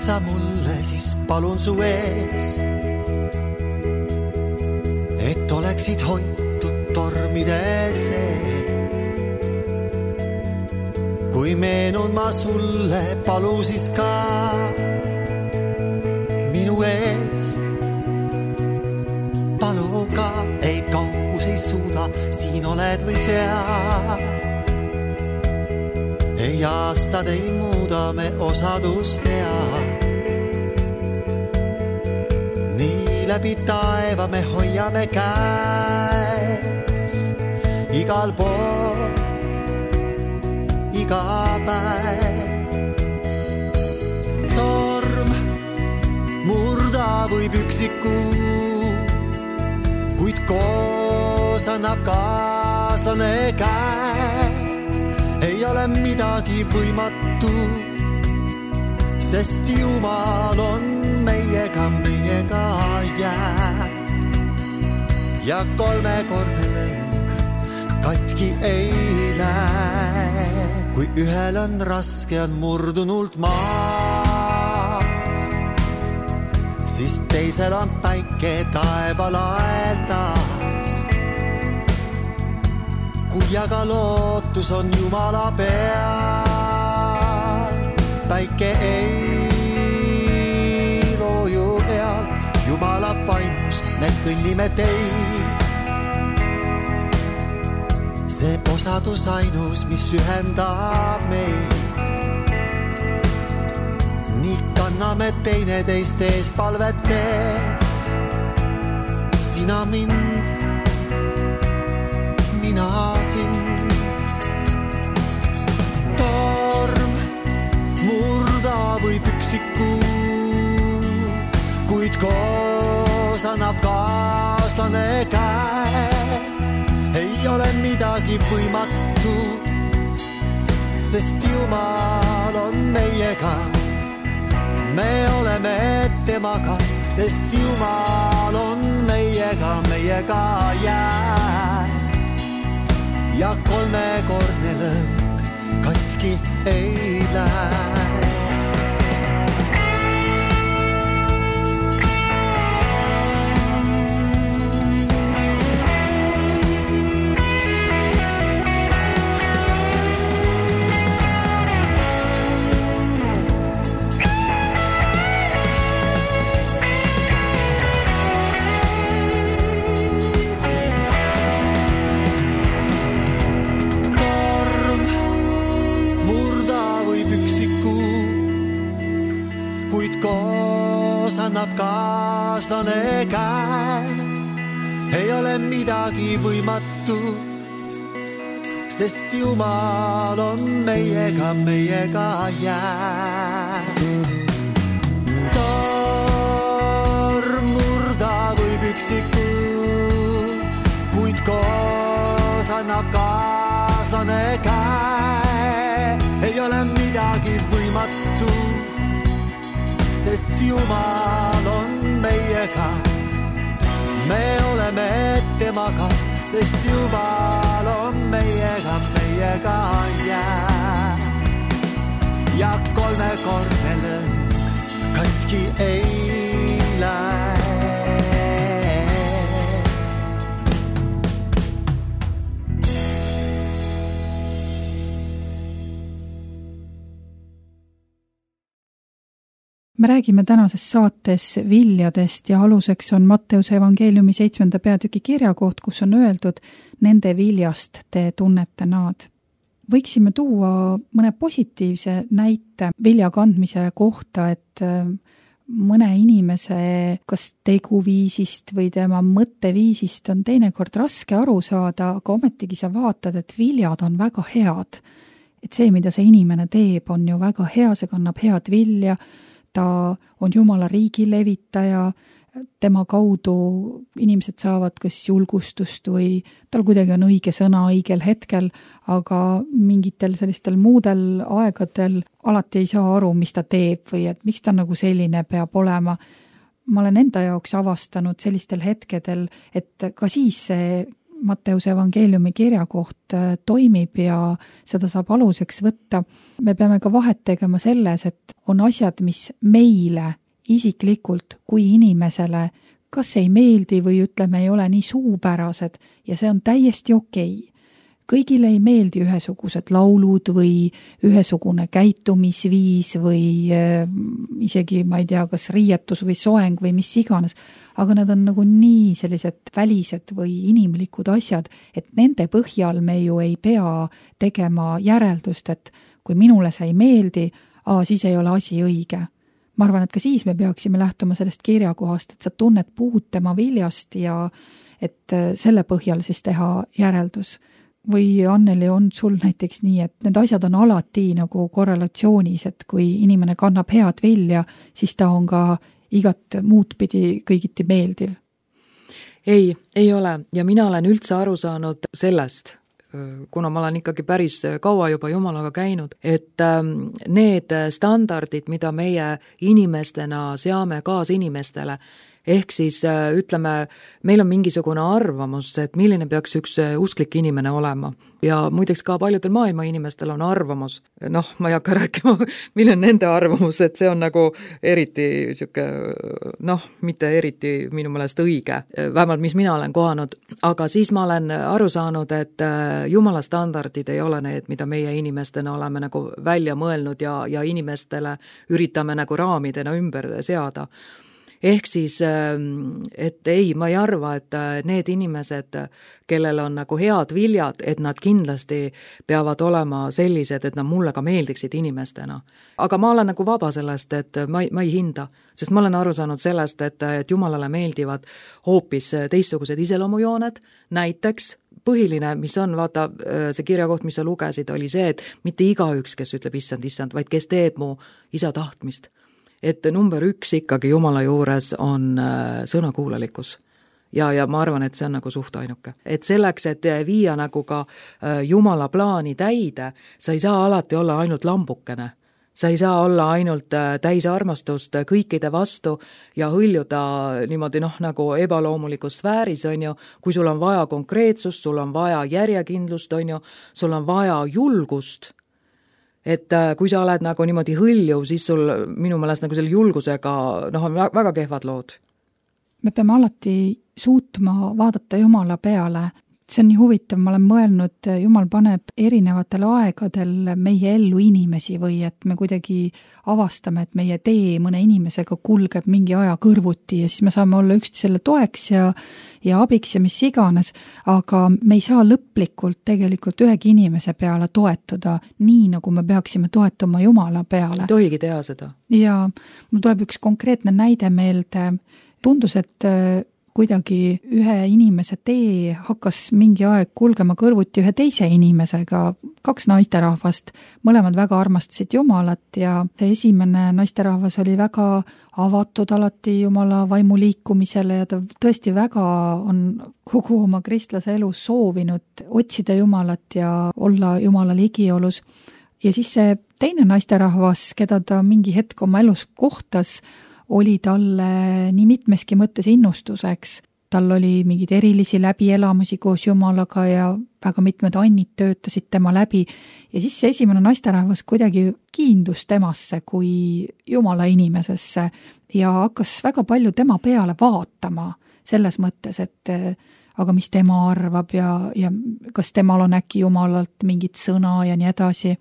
Speaker 4: Sa mulle, siis palun su ees, et oleksid hoitud tormide sees. Kui meenun ma sulle, palu siis ka minu eest. Palu ka, ei kaugus ei suuda, siin oled või seal. Ei aastad ei muuda, me osadust tead. Nii läbi taeva me hoiame käest. Igal pool, iga päev. Torm murda võib üksiku, kuid koos annab kaaslane käe. Ei ole midagi võimatu, sest Jumal on meiega jääb. Ja kolmekordne lõng katki ei lähe. Kui ühel on raske, on murdunult maas, siis teisel on päike taeval aeldas. Kui aga lootus on Jumala peal, päike ei looju peal. Jumala vaimus me kõnnime teid. See osadus ainus, mis ühendab meid. Nii kanname teineteist ees palvetes. Sina mind, mina sind. Torm murda võib üksiku, kuid koos annab kaaslane käe. Ei ole midagi võimatu, sest Jumal on meiega. Me oleme temaga, sest Jumal on meiega jääb. Ja kolmekordne lõng katki ei lähe. Annab kaaslane käe. Ei ole midagi võimatu, sest Jumal on meiega jääb. Torm murda võib üksiku, kuid koos annab kaaslane käe. Ei ole midagi võimatu, sest Jumal on meiega. Me oleme temaga, sest Jumal on meiega jääb. Ja kolmekordne lõng katki ei lähe.
Speaker 2: Me räägime tänases saates viljadest ja aluseks on Matteuse evangeeliumi 7. peatüki kirjakoht, kus on öeldud, nende viljast te tunnete nad. Võiksime tuua mõne positiivse näite vilja kandmise kohta, et mõne inimese kas teguviisist või tema mõtteviisist on teinekord raske aru saada, aga ometigi sa vaatad, et viljad on väga head. Et see, mida see inimene teeb, on ju väga hea, see kannab head vilja, ta on Jumala riigi levitaja, tema kaudu inimesed saavad kas julgustust või tal kuidagi on õige sõna õigel hetkel, aga mingitel sellistel muudel aegadel alati ei saa aru, mis ta teeb või et miks ta nagu selline peab olema. Ma olen enda jaoks avastanud sellistel hetkedel, et ka siis see Matteuse evangeeliumi kirjakoht toimib ja seda saab aluseks võtta. Me peame ka vahet tegema selles, et on asjad, mis meile isiklikult kui inimesele kas ei meeldi või ütleme, ei ole nii suupärased ja see on täiesti okei. Kõigile ei meeldi ühesugused laulud või ühesugune käitumisviis või isegi, ma ei tea, kas riietus või soeng või mis iganes, aga nad on nagu nii sellised välised või inimlikud asjad, et nende põhjal me ju ei pea tegema järeldust, et kui minule see ei meeldi, siis ei ole asi õige. Ma arvan, et ka siis me peaksime lähtuma sellest kirjakohast, et sa tunned puud tema viljast ja et selle põhjal siis teha järeldus. Või Anneli, on sul näiteks nii, et need asjad on alati nagu korrelatsioonis, et kui inimene kannab head vilja, siis ta on ka igat muud pidi kõigiti meeldiv?
Speaker 3: Ei ole ja mina olen üldse aru saanud sellest, kuna ma olen ikkagi päris kaua juba Jumalaga käinud, et need standardid, mida meie inimestena seame kaasinimestele, ehk siis ütleme, meil on mingisugune arvamus, et milline peaks üks usklik inimene olema. Ja muideks ka paljudel maailma inimestel on arvamus. Ma ei hakka rääkima, milline on nende arvamus, et see on nagu eriti siuke, mitte eriti minu meelest õige, vähemalt mis mina olen kohanud. Aga siis ma olen aru saanud, et Jumala standardid ei ole need, mida meie inimestena oleme nagu välja mõelnud ja inimestele üritame nagu raamidena ümber seada. Ehk siis, et ei, ma ei arva, et need inimesed, kellel on nagu head viljad, et nad kindlasti peavad olema sellised, et nad mulle ka meeldiksid inimestena. Aga ma olen nagu vaba sellest, et ma ei hinda, sest ma olen aru saanud sellest, et Jumalale meeldivad hoopis teistsugused iseloomujooned, näiteks põhiline, mis on, vaata, see kirjakoht, mis sa lugesid, oli see, et mitte igaüks, kes ütleb issand, vaid kes teeb mu isa tahtmist. Et number 1 ikkagi Jumala juures on sõnakuulalikkus. Ja ma arvan, et see on nagu suht ainuke. Et selleks, et viia nagu ka Jumala plaani täide, sa ei saa alati olla ainult lambukene. Sa ei saa olla ainult täis armastust kõikide vastu ja hõljuda niimoodi nagu ebaloomulikus sfääris, on ju, kui sul on vaja konkreetsust, sul on vaja järjekindlust, on ju, sul on vaja julgust. Et kui sa oled nagu niimoodi hõljuv, siis sul minu meelest nagu selle julgusega on väga kehvad lood.
Speaker 2: Me peame alati suutma vaadata Jumala peale. See on nii huvitav, ma olen mõelnud, Jumal paneb erinevatel aegadel meie ellu inimesi või et me kuidagi avastame, et meie tee mõne inimesega kulgeb mingi aja kõrvuti ja siis me saame olla üksteisele toeks ja abiks ja mis iganes, aga me ei saa lõplikult tegelikult ühegi inimese peale toetuda nii, nagu me peaksime toetuma Jumala peale.
Speaker 3: Tohigi teha seda.
Speaker 2: Ja mul tuleb üks konkreetne näide meelde. Tundus, et kuidagi ühe inimese tee hakkas mingi aeg kulgema kõrvuti ühe teise inimesega, 2 naisterahvast, mõlemad väga armastasid Jumalat ja see esimene naisterahvas oli väga avatud alati Jumala vaimuliikumisele ja ta tõesti väga on kogu oma kristlase elus soovinud otsida Jumalat ja olla Jumala ligiolus. Ja siis see teine naisterahvas, keda ta mingi hetk oma elus kohtas, oli talle nii mitmeski mõttes innustuseks. Tal oli mingid erilisi läbielamusi koos Jumalaga ja väga mitmed annid töötasid tema läbi. Ja siis see esimene naisterahvas kuidagi kiindus temasse kui Jumala inimesesse ja hakkas väga palju tema peale vaatama selles mõttes, et aga mis tema arvab ja kas temal on äkki Jumalalt mingit sõna ja nii edasi.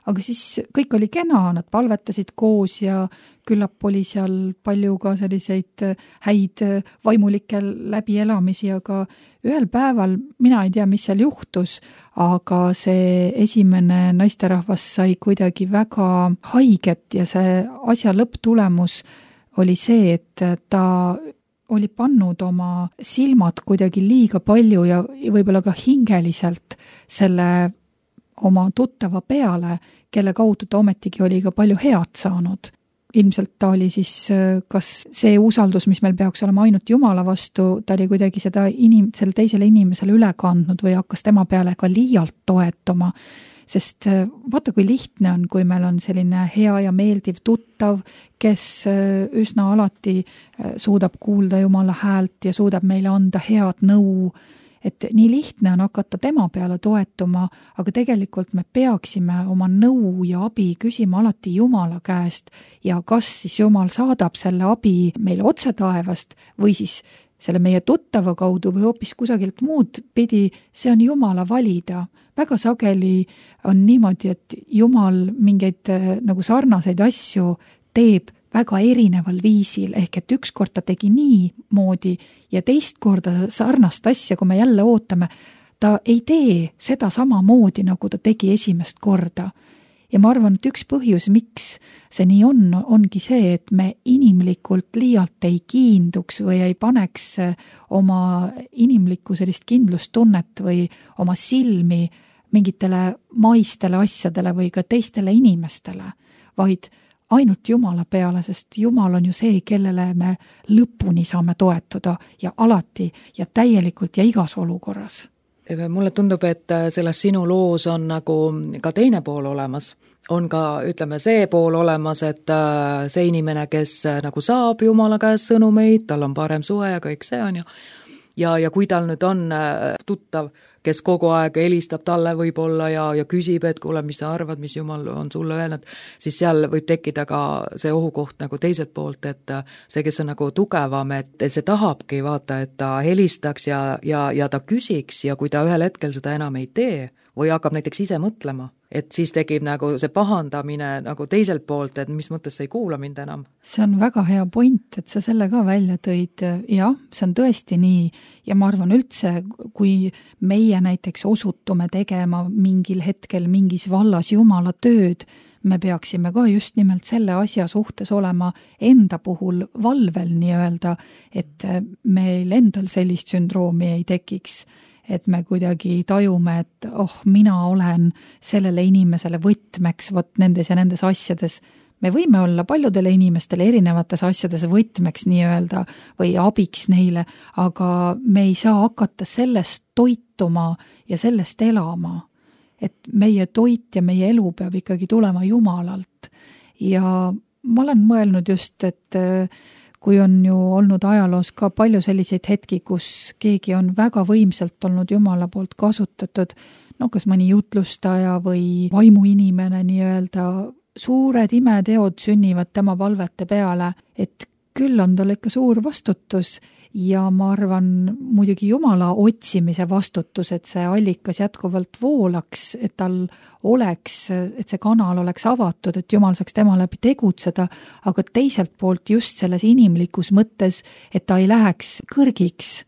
Speaker 2: Aga siis kõik oli kena, nad palvetasid koos ja küllap oli seal palju ka selliseid häid vaimulikke läbielamisi, aga ühel päeval, mina ei tea, mis seal juhtus, aga see esimene naisterahvas sai kuidagi väga haiget ja see asja lõpptulemus oli see, et ta oli pannud oma silmad kuidagi liiga palju ja võib-olla ka hingeliselt selle oma tuttava peale, kelle kaudu ta ometigi oli ka palju head saanud. Ilmselt ta oli siis, kas see usaldus, mis meil peaks olema ainult Jumala vastu, ta oli kuidagi seda selle teisele inimesele üle kandnud või hakkas tema peale ka liialt toetuma. Sest vaata, kui lihtne on, kui meil on selline hea ja meeldiv tuttav, kes üsna alati suudab kuulda Jumala häält ja suudab meile anda head nõu et nii lihtne on hakata tema peale toetuma, aga tegelikult me peaksime oma nõu ja abi küsima alati Jumala käest ja kas siis Jumal saadab selle abi meile otse taevast või siis selle meie tuttava kaudu või hoopis kusagilt muud pidi, see on Jumala valida. Väga sageli on niimoodi, et Jumal mingeid nagu sarnaseid asju teeb väga erineval viisil, ehk et ükskord ta tegi niimoodi ja teist korda sarnast asja, kui me jälle ootame, ta ei tee seda samamoodi, nagu ta tegi esimest korda. Ja ma arvan, et üks põhjus, miks see nii ongi see, et me inimlikult liialt ei kiinduks või ei paneks oma inimlikku sellist kindlustunnet või oma silmi mingitele maistele asjadele või ka teistele inimestele, vaid ainult Jumala peale, sest Jumal on ju see, kellele me lõpuni saame toetuda ja alati ja täielikult ja igas olukorras.
Speaker 3: Mulle tundub, et selles sinu loos on nagu ka teine pool olemas. On ka, ütleme, see pool olemas, et see inimene, kes nagu saab Jumala käest sõnumeid, tal on parem suhe ja kõik see on ju. Ja kui tal nüüd on tuttav, kes kogu aeg helistab talle võib-olla ja küsib, et kuule, mis sa arvad, mis Jumal on sulle öelnud, siis seal võib tekkida ka see ohukoht nagu teiselt poolt, et see, kes on nagu tugevam, et see tahabki vaata, et ta helistaks ja ta küsiks ja kui ta ühel hetkel seda enam ei tee või hakkab näiteks ise mõtlema, et siis tekib nagu see pahandamine nagu teiselt poolt, et mis mõttes sa ei kuula mind enam.
Speaker 2: See on väga hea point, et sa selle ka välja tõid. Jah, see on tõesti nii ja ma arvan üldse, kui meie näiteks osutume tegema mingil hetkel mingis vallas Jumala tööd, me peaksime ka just nimelt selle asja suhtes olema enda puhul valvel nii-öelda, et meil endal sellist sündroomi ei tekiks. Et me kuidagi tajume, et mina olen sellele inimesele võtmeks nendes ja nendes asjades. Me võime olla paljudele inimestele erinevates asjades võtmeks nii-öelda või abiks neile, aga me ei saa hakata sellest toituma ja sellest elama. Et meie toit ja meie elu peab ikkagi tulema Jumalalt. Ja ma olen mõelnud just, et kui on ju olnud ajaloos ka palju selliseid hetki, kus keegi on väga võimsalt olnud Jumala poolt kasutatud, kas mõni jutlustaja või vaimuinimene nii-öelda, suured imeteod sünnivad tema palvete peale, et küll on tal ikka suur vastutus ja ma arvan muidugi Jumala otsimise vastutus, et see allikas jätkuvalt voolaks, et tal oleks, et see kanal oleks avatud, et Jumal saaks tema läbi tegutseda, aga teiselt poolt just selles inimlikus mõttes, et ta ei läheks kõrgiks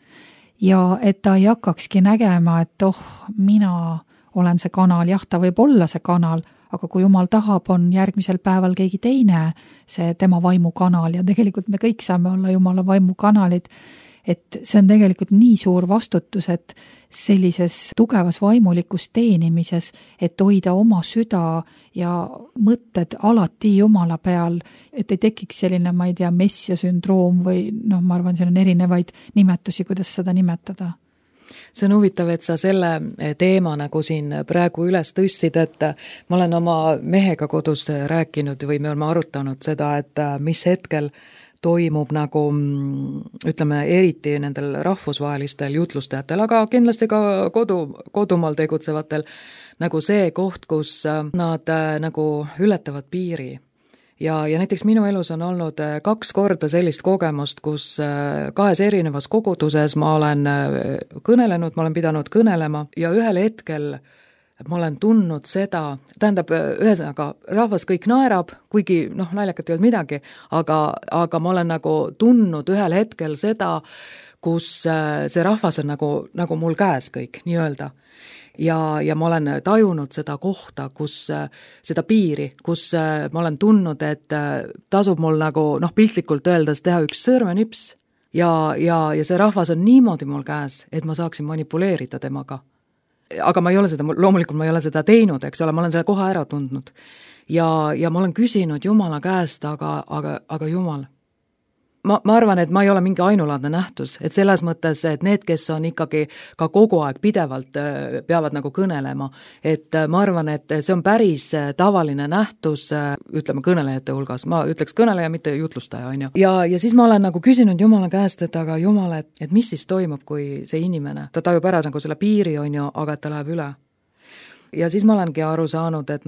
Speaker 2: ja et ta ei hakkakski nägema, et mina olen see kanal, jah, ta võib olla see kanal, aga kui Jumal tahab, on järgmisel päeval keegi teine see tema vaimukanal ja tegelikult me kõik saame olla Jumala vaimukanalid, et see on tegelikult nii suur vastutus, et sellises tugevas vaimulikus teenimises, et hoida oma süda ja mõtted alati Jumala peal, et ei tekiks selline, ma ei tea, messia sündroom või ma arvan, seal on erinevaid nimetusi, kuidas seda nimetada.
Speaker 3: See on huvitav, et sa selle teema nagu siin praegu üles tõstsid, et ma olen oma mehega kodus rääkinud või me oleme arutanud seda, et mis hetkel toimub nagu, ütleme, eriti nendel rahvusvahelistel jutlustajatel, aga kindlasti ka kodumaal tegutsevatel, nagu see koht, kus nad nagu ületavad piiri. Ja näiteks minu elus on olnud 2 korda sellist kogemust, kus 2 erinevas koguduses ma olen kõnelenud, ma olen pidanud kõnelema ja ühel hetkel ma olen tundnud seda, tähendab, ühesõnaga, rahvas kõik naerab, kuigi naljakat ei olnud midagi, aga ma olen nagu tundnud ühel hetkel seda, kus see rahvas on nagu mul käes kõik, nii-öelda. Ja ma olen tajunud seda kohta, kus seda piiri, kus ma olen tundnud, et tasub mul nagu piltlikult öeldes teha üks sõrmenips ja see rahvas on niimoodi mul käes, et ma saaksin manipuleerida temaga. Aga ma ei ole seda, loomulikult ma ei ole seda teinud, eks ole, ma olen selle koha ära tundnud. Ja ma olen küsinud Jumala käest, aga Jumal, ma arvan, et ma ei ole mingi ainulaadne nähtus, et selles mõttes, et need, kes on ikkagi ka kogu aeg pidevalt peavad nagu kõnelema, et ma arvan, et see on päris tavaline nähtus, ütleme kõnelejate hulgas, ma ütleks kõneleja, mitte jutlustaja, on ju. Ja siis ma olen nagu küsinud Jumala käest, et aga Jumal, et mis siis toimub, kui see inimene, ta tajub ära nagu selle piiri, on ju, aga et ta läheb üle. Ja siis ma olengi aru saanud, et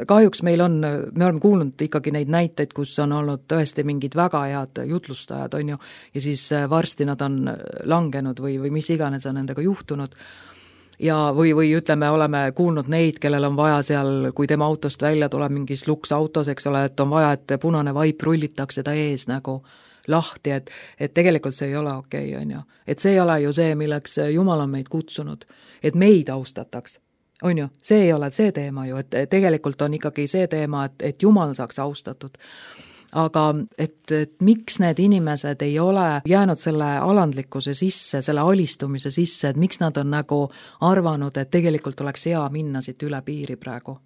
Speaker 3: kahjuks me oleme kuulnud ikkagi neid näiteid, kus on olnud tõesti mingid väga head jutlustajad, on ju, ja siis varsti nad on langenud või mis iganes on nendega juhtunud. Ja või ütleme, oleme kuulnud neid, kellel on vaja seal, kui tema autost välja tuleb mingis luksautos, eks ole, et on vaja, et punane vaip rullitakse ta ees nagu lahti, et tegelikult see ei ole okei, on ju. Et see ei ole ju see, milleks Jumal on meid kutsunud, et meid austataks. On ju, see ei ole see teema ju, et tegelikult on ikkagi see teema, et Jumal saaks austatud. Aga et miks need inimesed ei ole jäänud selle alandlikkuse sisse, selle alistumise sisse, et miks nad on nagu arvanud, et tegelikult oleks hea minna siit üle piiri praegu.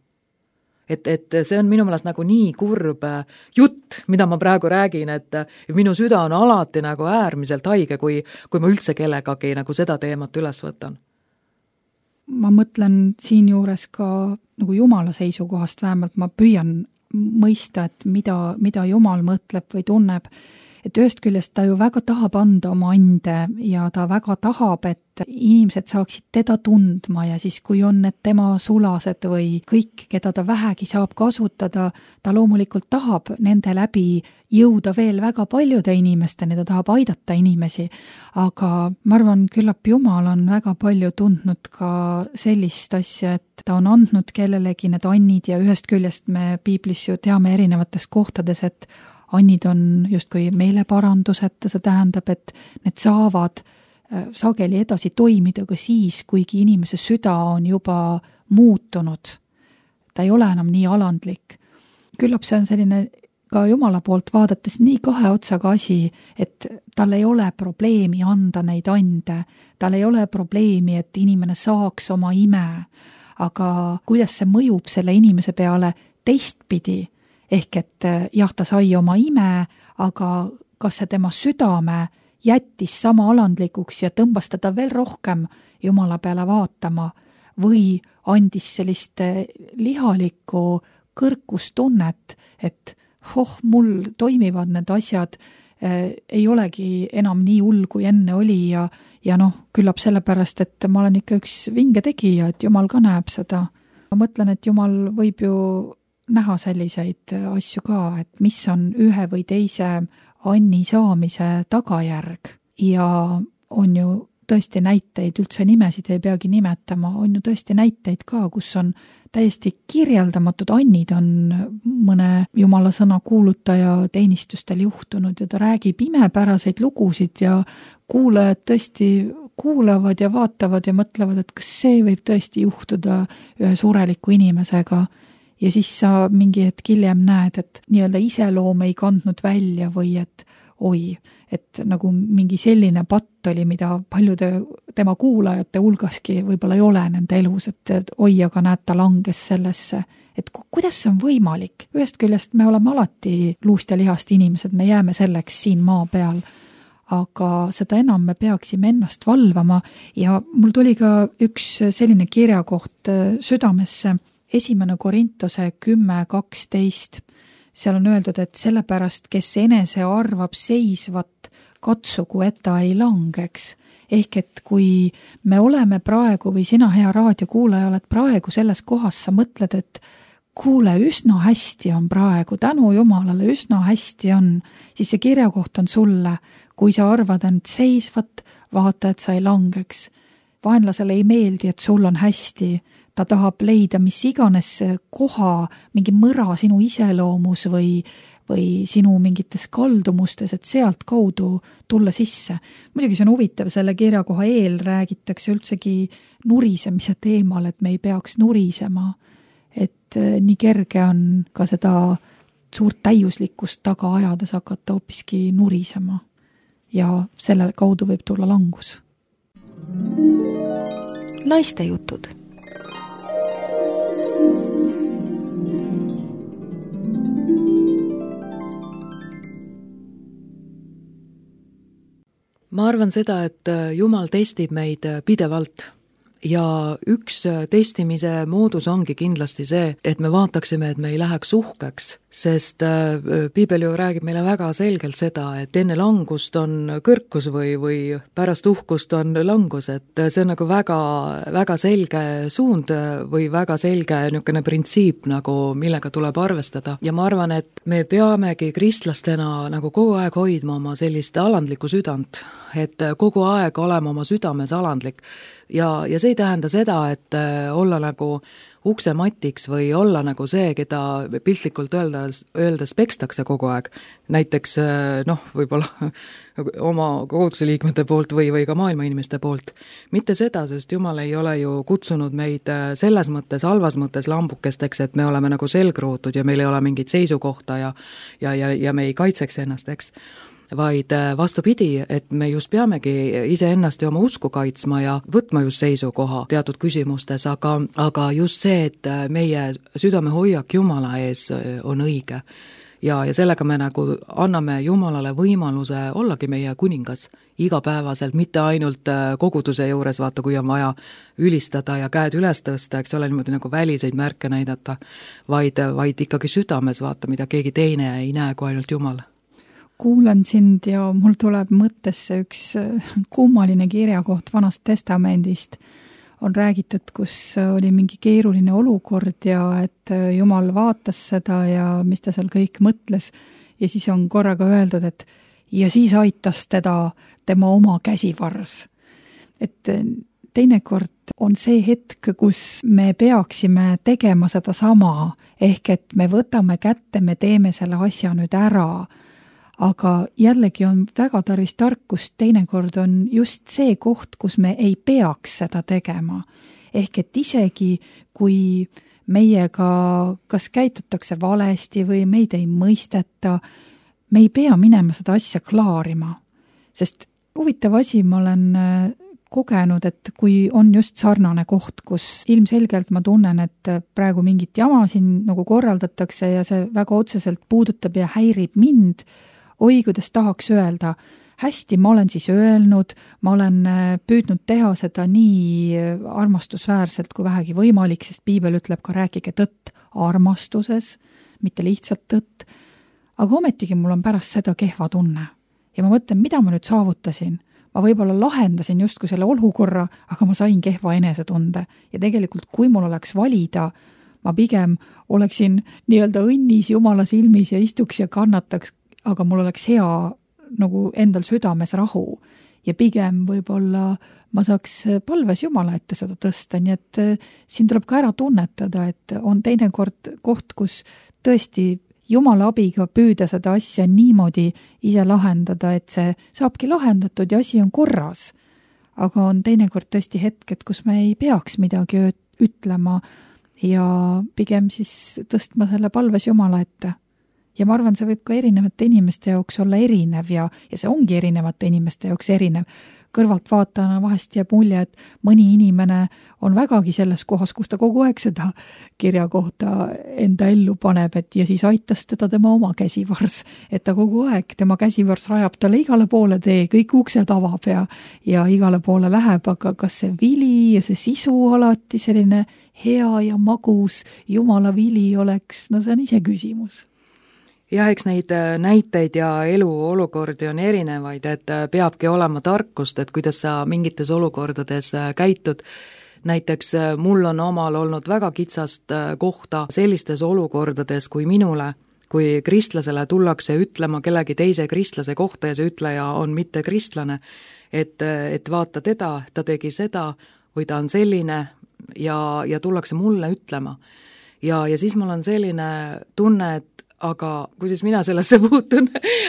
Speaker 3: Et see on minu meelest nagu nii kurb jutt, mida ma praegu räägin, et minu süda on alati nagu äärmiselt haige, kui ma üldse kellegagi nagu seda teemat üles võtan.
Speaker 2: Ma mõtlen siin juures ka nagu Jumala seisukohast, vähemalt ma püüan mõista, et mida Jumal mõtleb või tunneb. Et ühest küljest ta ju väga tahab anda oma ande ja ta väga tahab, et inimesed saaksid teda tundma ja siis, kui on need tema sulased või kõik, keda ta vähegi saab kasutada, ta loomulikult tahab nende läbi jõuda veel väga paljude inimesteni, ta tahab aidata inimesi, aga ma arvan, küllap Jumal on väga palju tundnud ka sellist asja, et ta on andnud kellelegi need annid ja ühest küljest me piiblis ju teame erinevates kohtades, et annid on justkui meeleparandused, see tähendab, et need saavad sageli edasi toimida ka siis, kuigi inimese süda on juba muutunud. Ta ei ole enam nii alandlik. Küllap see on selline ka Jumala poolt vaadates nii kahe otsaga asi, et tal ei ole probleemi anda neid ande, tal ei ole probleemi, et inimene saaks oma ime, aga kuidas see mõjub selle inimese peale teistpidi, ehk et jah, ta sai oma ime, aga kas see tema südame jättis sama alandlikuks ja tõmbas teda veel rohkem Jumala peale vaatama või andis sellist lihalikku kõrkustunnet, et mul toimivad need asjad, ei olegi enam nii hull, kui enne oli ja küllap sellepärast, et ma olen ikka üks vinge tegija, et Jumal ka näeb seda. Ma mõtlen, et Jumal võib ju näha selliseid asju ka, et mis on ühe või teise anni saamise tagajärg ja on ju tõesti näiteid, üldse nimesid ei peagi nimetama, on ju tõesti näiteid ka, kus on täiesti kirjeldamatud annid on mõne Jumala sõna kuulutaja teenistustel juhtunud ja ta räägib imepäraseid lugusid ja kuulajad tõesti kuulavad ja vaatavad ja mõtlevad, et kas see võib tõesti juhtuda ühe sureliku inimesega. Ja siis sa mingi hetk hiljem näed, et nii-öelda iseloom ei kandnud välja või et nagu mingi selline patt oli, mida paljude tema kuulajate hulgaski võib-olla ei ole nende elus, et aga näed, ta langes sellesse. Et kuidas see on võimalik? Ühest küljest me oleme alati luust ja lihast inimesed, me jääme selleks siin maa peal, aga seda enam me peaksime ennast valvama ja mul tuli ka üks selline kirjakoht südamesse, 1. Korintuse 10:12, seal on öeldud, et sellepärast, kes enese arvab seisvat, katsugu, et ta ei langeks. Ehk et kui me oleme praegu või sina, hea raadiokuulaja, oled praegu selles kohas, sa mõtled, et kuule, üsna hästi on praegu, tänu Jumalale, üsna hästi on, siis see kirjakoht on sulle, kui sa arvad end seisvat, vaata, et sa ei langeks. Vaenlasele ei meeldi, et sul on hästi, ta tahab leida mis iganes koha, mingi mõra sinu iseloomus või sinu mingites kaldumustes, et sealt kaudu tulla sisse. Muidugi see on huvitav, selle kirjakoha eel räägitakse üldsegi nurisemise teemal, et me ei peaks nurisema, et nii kerge on ka seda suurt täiuslikkust taga ajades hakata hoopiski nurisema ja selle kaudu võib tulla langus.
Speaker 1: Naiste jutud.
Speaker 3: ma arvan seda, et Jumal testib meid pidevalt ja üks testimise moodus ongi kindlasti see, et me vaataksime, et me ei läheks uhkeks, sest piibel ju räägib meile väga selgelt seda, et enne langust on kõrkus või pärast uhkust on langus, et see on nagu väga, väga selge suund või väga selge niisugune printsiip, nagu millega tuleb arvestada. Ja ma arvan, et me peamegi kristlastena nagu kogu aeg hoidma oma sellist alandlikku südant, et kogu aeg olema oma südames alandlik. Ja see ei tähenda seda, et olla nagu uksematiks või olla nagu see, keda piltlikult öeldes pekstakse kogu aeg. Näiteks võib-olla oma koguduse liikmete poolt või ka maailma inimeste poolt. Mitte seda, sest Jumal ei ole ju kutsunud meid selles mõttes, halvas mõttes lambukesteks, et me oleme nagu selgrootud ja meil ei ole mingit seisukohta ja me ei kaitseks ennast, eks. Vaid vastupidi, et me just peamegi iseennast ja oma usku kaitsma ja võtma just seisukoha teatud küsimustes, aga just see, et meie südame hoiak Jumala ees on õige. Ja sellega me nagu anname Jumalale võimaluse ollagi meie kuningas igapäevaselt, mitte ainult koguduse juures, vaata, kui on vaja ülistada ja käed üles tõsta, eks ole, niimoodi nagu väliseid märke näidata, vaid ikkagi südames vaata, mida keegi teine ei näe kui ainult Jumal.
Speaker 2: Kuulan sind ja mul tuleb mõttesse üks kummaline kirjakoht Vanast Testamendist. On räägitud, kus oli mingi keeruline olukord ja et Jumal vaatas seda ja mis ta seal kõik mõtles. Ja siis on korraga öeldud, et ja siis aitas teda tema oma käsivars. Et teinekord on see hetk, kus me peaksime tegema seda sama, ehk et me võtame kätte, me teeme selle asja nüüd ära. Aga jällegi on väga tarvis tarkust, teinekord on just see koht, kus me ei peaks seda tegema. Ehk et isegi, kui meiega kas käitutakse valesti või meid ei mõisteta, me ei pea minema seda asja klaarima. Sest huvitav asi, ma olen kogenud, et kui on just sarnane koht, kus ilmselgelt ma tunnen, et praegu mingit jama siin nagu korraldatakse ja see väga otseselt puudutab ja häirib mind, oi, kuidas tahaks öelda, hästi, ma olen siis öelnud, ma olen püüdnud teha seda nii armastusväärselt kui vähegi võimalik, sest piibel ütleb ka rääkige tõtt armastuses, mitte lihtsalt tõtt, aga ometigi mul on pärast seda kehva tunne. Ja ma mõtlen, mida ma nüüd saavutasin? Ma võib-olla lahendasin justkui selle olukorra, aga ma sain kehva enesetunde. Ja tegelikult, kui mul oleks valida, ma pigem oleksin nii-öelda õnnis Jumala silmis ja istuks ja kannataks, aga mul oleks hea nagu endal südames rahu ja pigem võib-olla ma saaks palves Jumala ette seda tõsta, nii et siin tuleb ka ära tunnetada, et on teinekord koht, kus tõesti Jumala abiga püüda seda asja niimoodi ise lahendada, et see saabki lahendatud ja asi on korras. Aga on teinekord tõesti hetked, kus me ei peaks midagi ütlema ja pigem siis tõstma selle palves Jumala ette. Ja ma arvan, see võib ka erinevate inimeste jaoks olla erinev ja see ongi erinevate inimeste jaoks erinev. Kõrvalt vaatana vahest jääb mulje, et mõni inimene on vägagi selles kohas, kus ta kogu aeg seda kirja kohta enda ellu paneb, et ja siis aitas teda tema oma käsivars, et ta kogu aeg, tema käsivars rajab talle igale poole tee, kõik uksed avab ja igale poole läheb, aga kas see vili ja see sisu alati selline hea ja magus Jumala vili oleks, no see on ise küsimus.
Speaker 3: Ja eks neid näiteid ja eluolukordi on erinevaid, et peabki olema tarkust, et kuidas sa mingites olukordades käitud. Näiteks mul on omal olnud väga kitsast kohta sellistes olukordades kui minule, kui kristlasele tullakse ütlema kellegi teise kristlase kohta ja see ütleja on mitte kristlane, et vaata teda, ta tegi seda või ta on selline ja tullakse mulle ütlema. Ja siis mul on selline tunne, et aga kuidas mina sellesse puutun,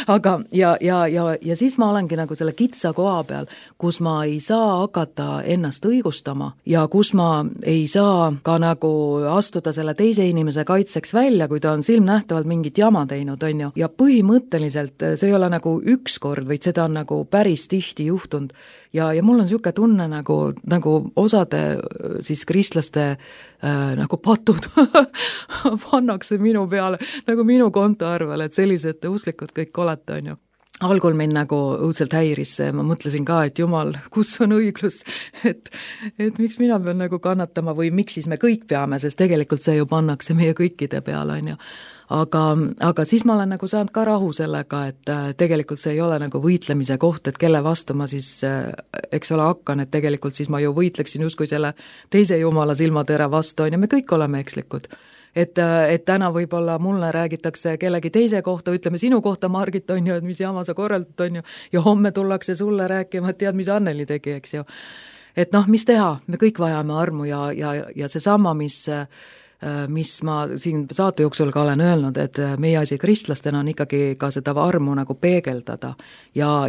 Speaker 3: aga ja siis ma olengi nagu selle kitsa koha peal, kus ma ei saa hakata ennast õigustama ja kus ma ei saa ka nagu astuda selle teise inimese kaitseks välja, kui ta on silmnähtavalt mingit jama teinud, on ju. Ja põhimõtteliselt see ei ole nagu üks kord, vaid seda on nagu päris tihti juhtunud. Ja mul on niisugune tunne nagu osade siis kristlaste nagu patud pannakse minu peale, nagu minu kontoarvel, et sellised usklikud kõik olete, on ju. algul mind nagu õudselt häiris see, ma mõtlesin ka, et jumal, kus on õiglus, et miks mina pean nagu kannatama või miks siis me kõik peame, sest tegelikult see ju pannakse meie kõikide peale, on ju. Aga siis ma olen nagu saanud ka rahu sellega, et tegelikult see ei ole nagu võitlemise koht, et kelle vastu ma siis, eks ole, hakkan, et tegelikult siis ma ju võitleksin justkui selle teise jumala silmatere vastu, on ja me kõik oleme ekslikud. Et täna võib-olla mulle räägitakse kellegi teise kohta, ütleme sinu kohta, Margit, on ju, et mis jama sa korraldad, on ju, ja homme tullakse sulle rääkima, et tead, mis Anneli tegi, eks ju. Et noh, mis teha, me kõik vajame armu ja see sama, mis ma siin saate jooksul ka olen öelnud, et meie asi kristlastena on ikkagi ka seda armu nagu peegeldada ja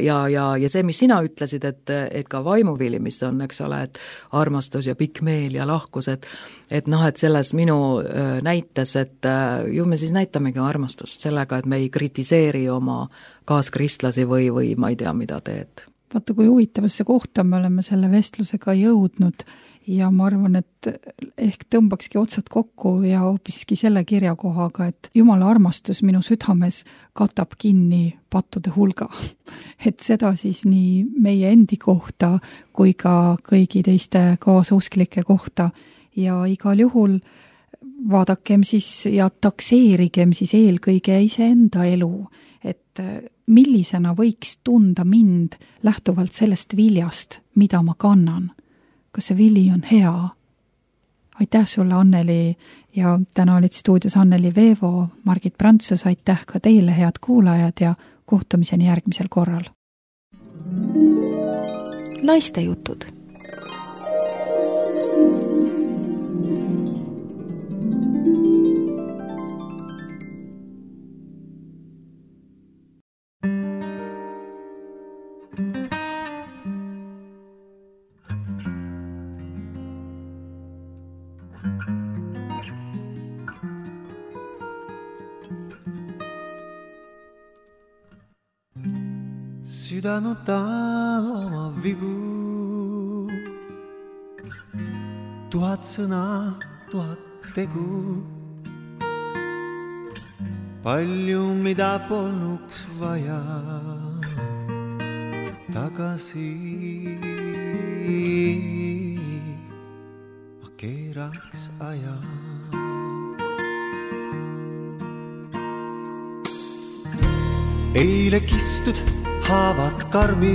Speaker 3: see, mis sina ütlesid, et ka vaimuvili, mis on, eks ole, et armastus ja pikk meel ja lahkus, et noh, et selles minu näites, et ju me siis näitamegi armastust sellega, et me ei kritiseeri oma kaaskristlasi või ma ei tea, mida teed.
Speaker 2: Vaata, kui huvitavasse kohta me oleme selle vestlusega jõudnud ja ma arvan, et ehk tõmbakski otsad kokku ja hoopiski selle kirjakohaga, et Jumala armastus minu südames katab kinni pattude hulga. Et seda siis nii meie endi kohta kui ka kõigi teiste kaasusklike kohta ja igal juhul vaadakem siis ja takseerigem siis eelkõige iseenda elu, et millisena võiks tunda mind lähtuvalt sellest viljast, mida ma kannan. Kas see vili on hea? Aitäh sulle, Anneli, ja täna olid stuudios Anneli Veevo, Margit Prantsus, aitäh ka teile, head kuulajad, ja kohtumiseni järgmisel korral.
Speaker 1: Naiste jutud.
Speaker 4: Südanuta oma vigu, 1000 sõna, 1000 tegu. Palju, mida polnuks vaja tagasi, ma keeraks aja. Eile kistud haavad karmid,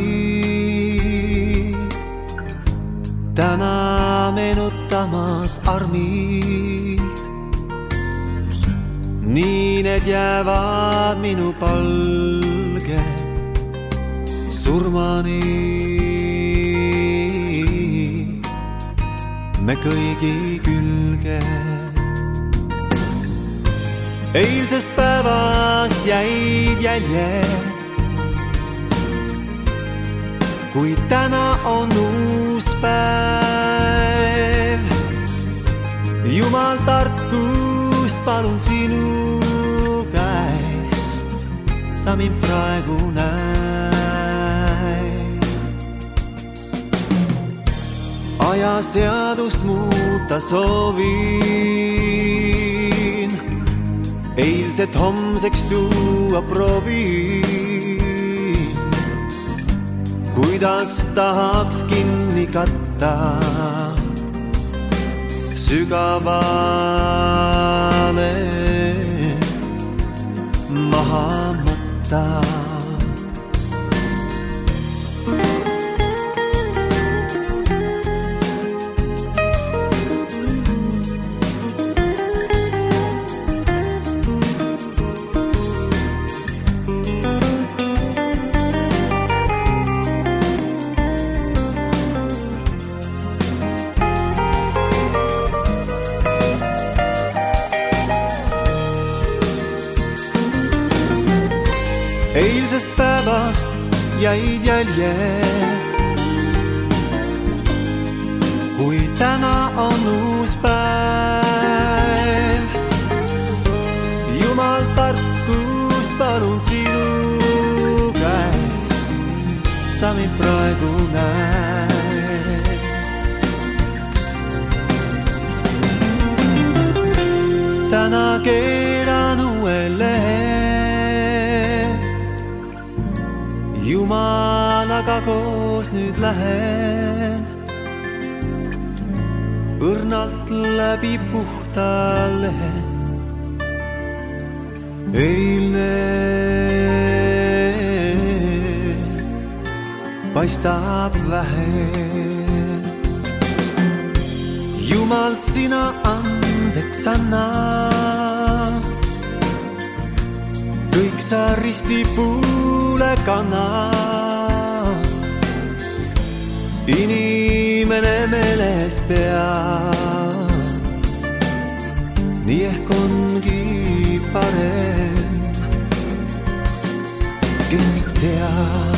Speaker 4: täna meenutamas armid. Nii need jäävad minu palge surmani. Me kõigi külge. Eilsest päevast jäid jäljed, kui täna on uus päev. Jumal tarkust palun sinu käest, sa mind praegu näe. Ajaseadust muuta soovin, eilset homseks tuua proovin. Kuidas tahaks kinni katta sügavale maha matta. Eilsest päevast jäid jäljed, kui täna on uus päev. Jumal tarkus palun sinu käest, sa mind praegu näed. Täna keeran uue lehe, nüüd lähen, õrnalt läbi puhta lehe. Eilne paistab vähe. Jumal, sina andeks annad, kõik sa ristipuule kannad. Inimene meeles peab, nii ehk ongi parem, kes teab.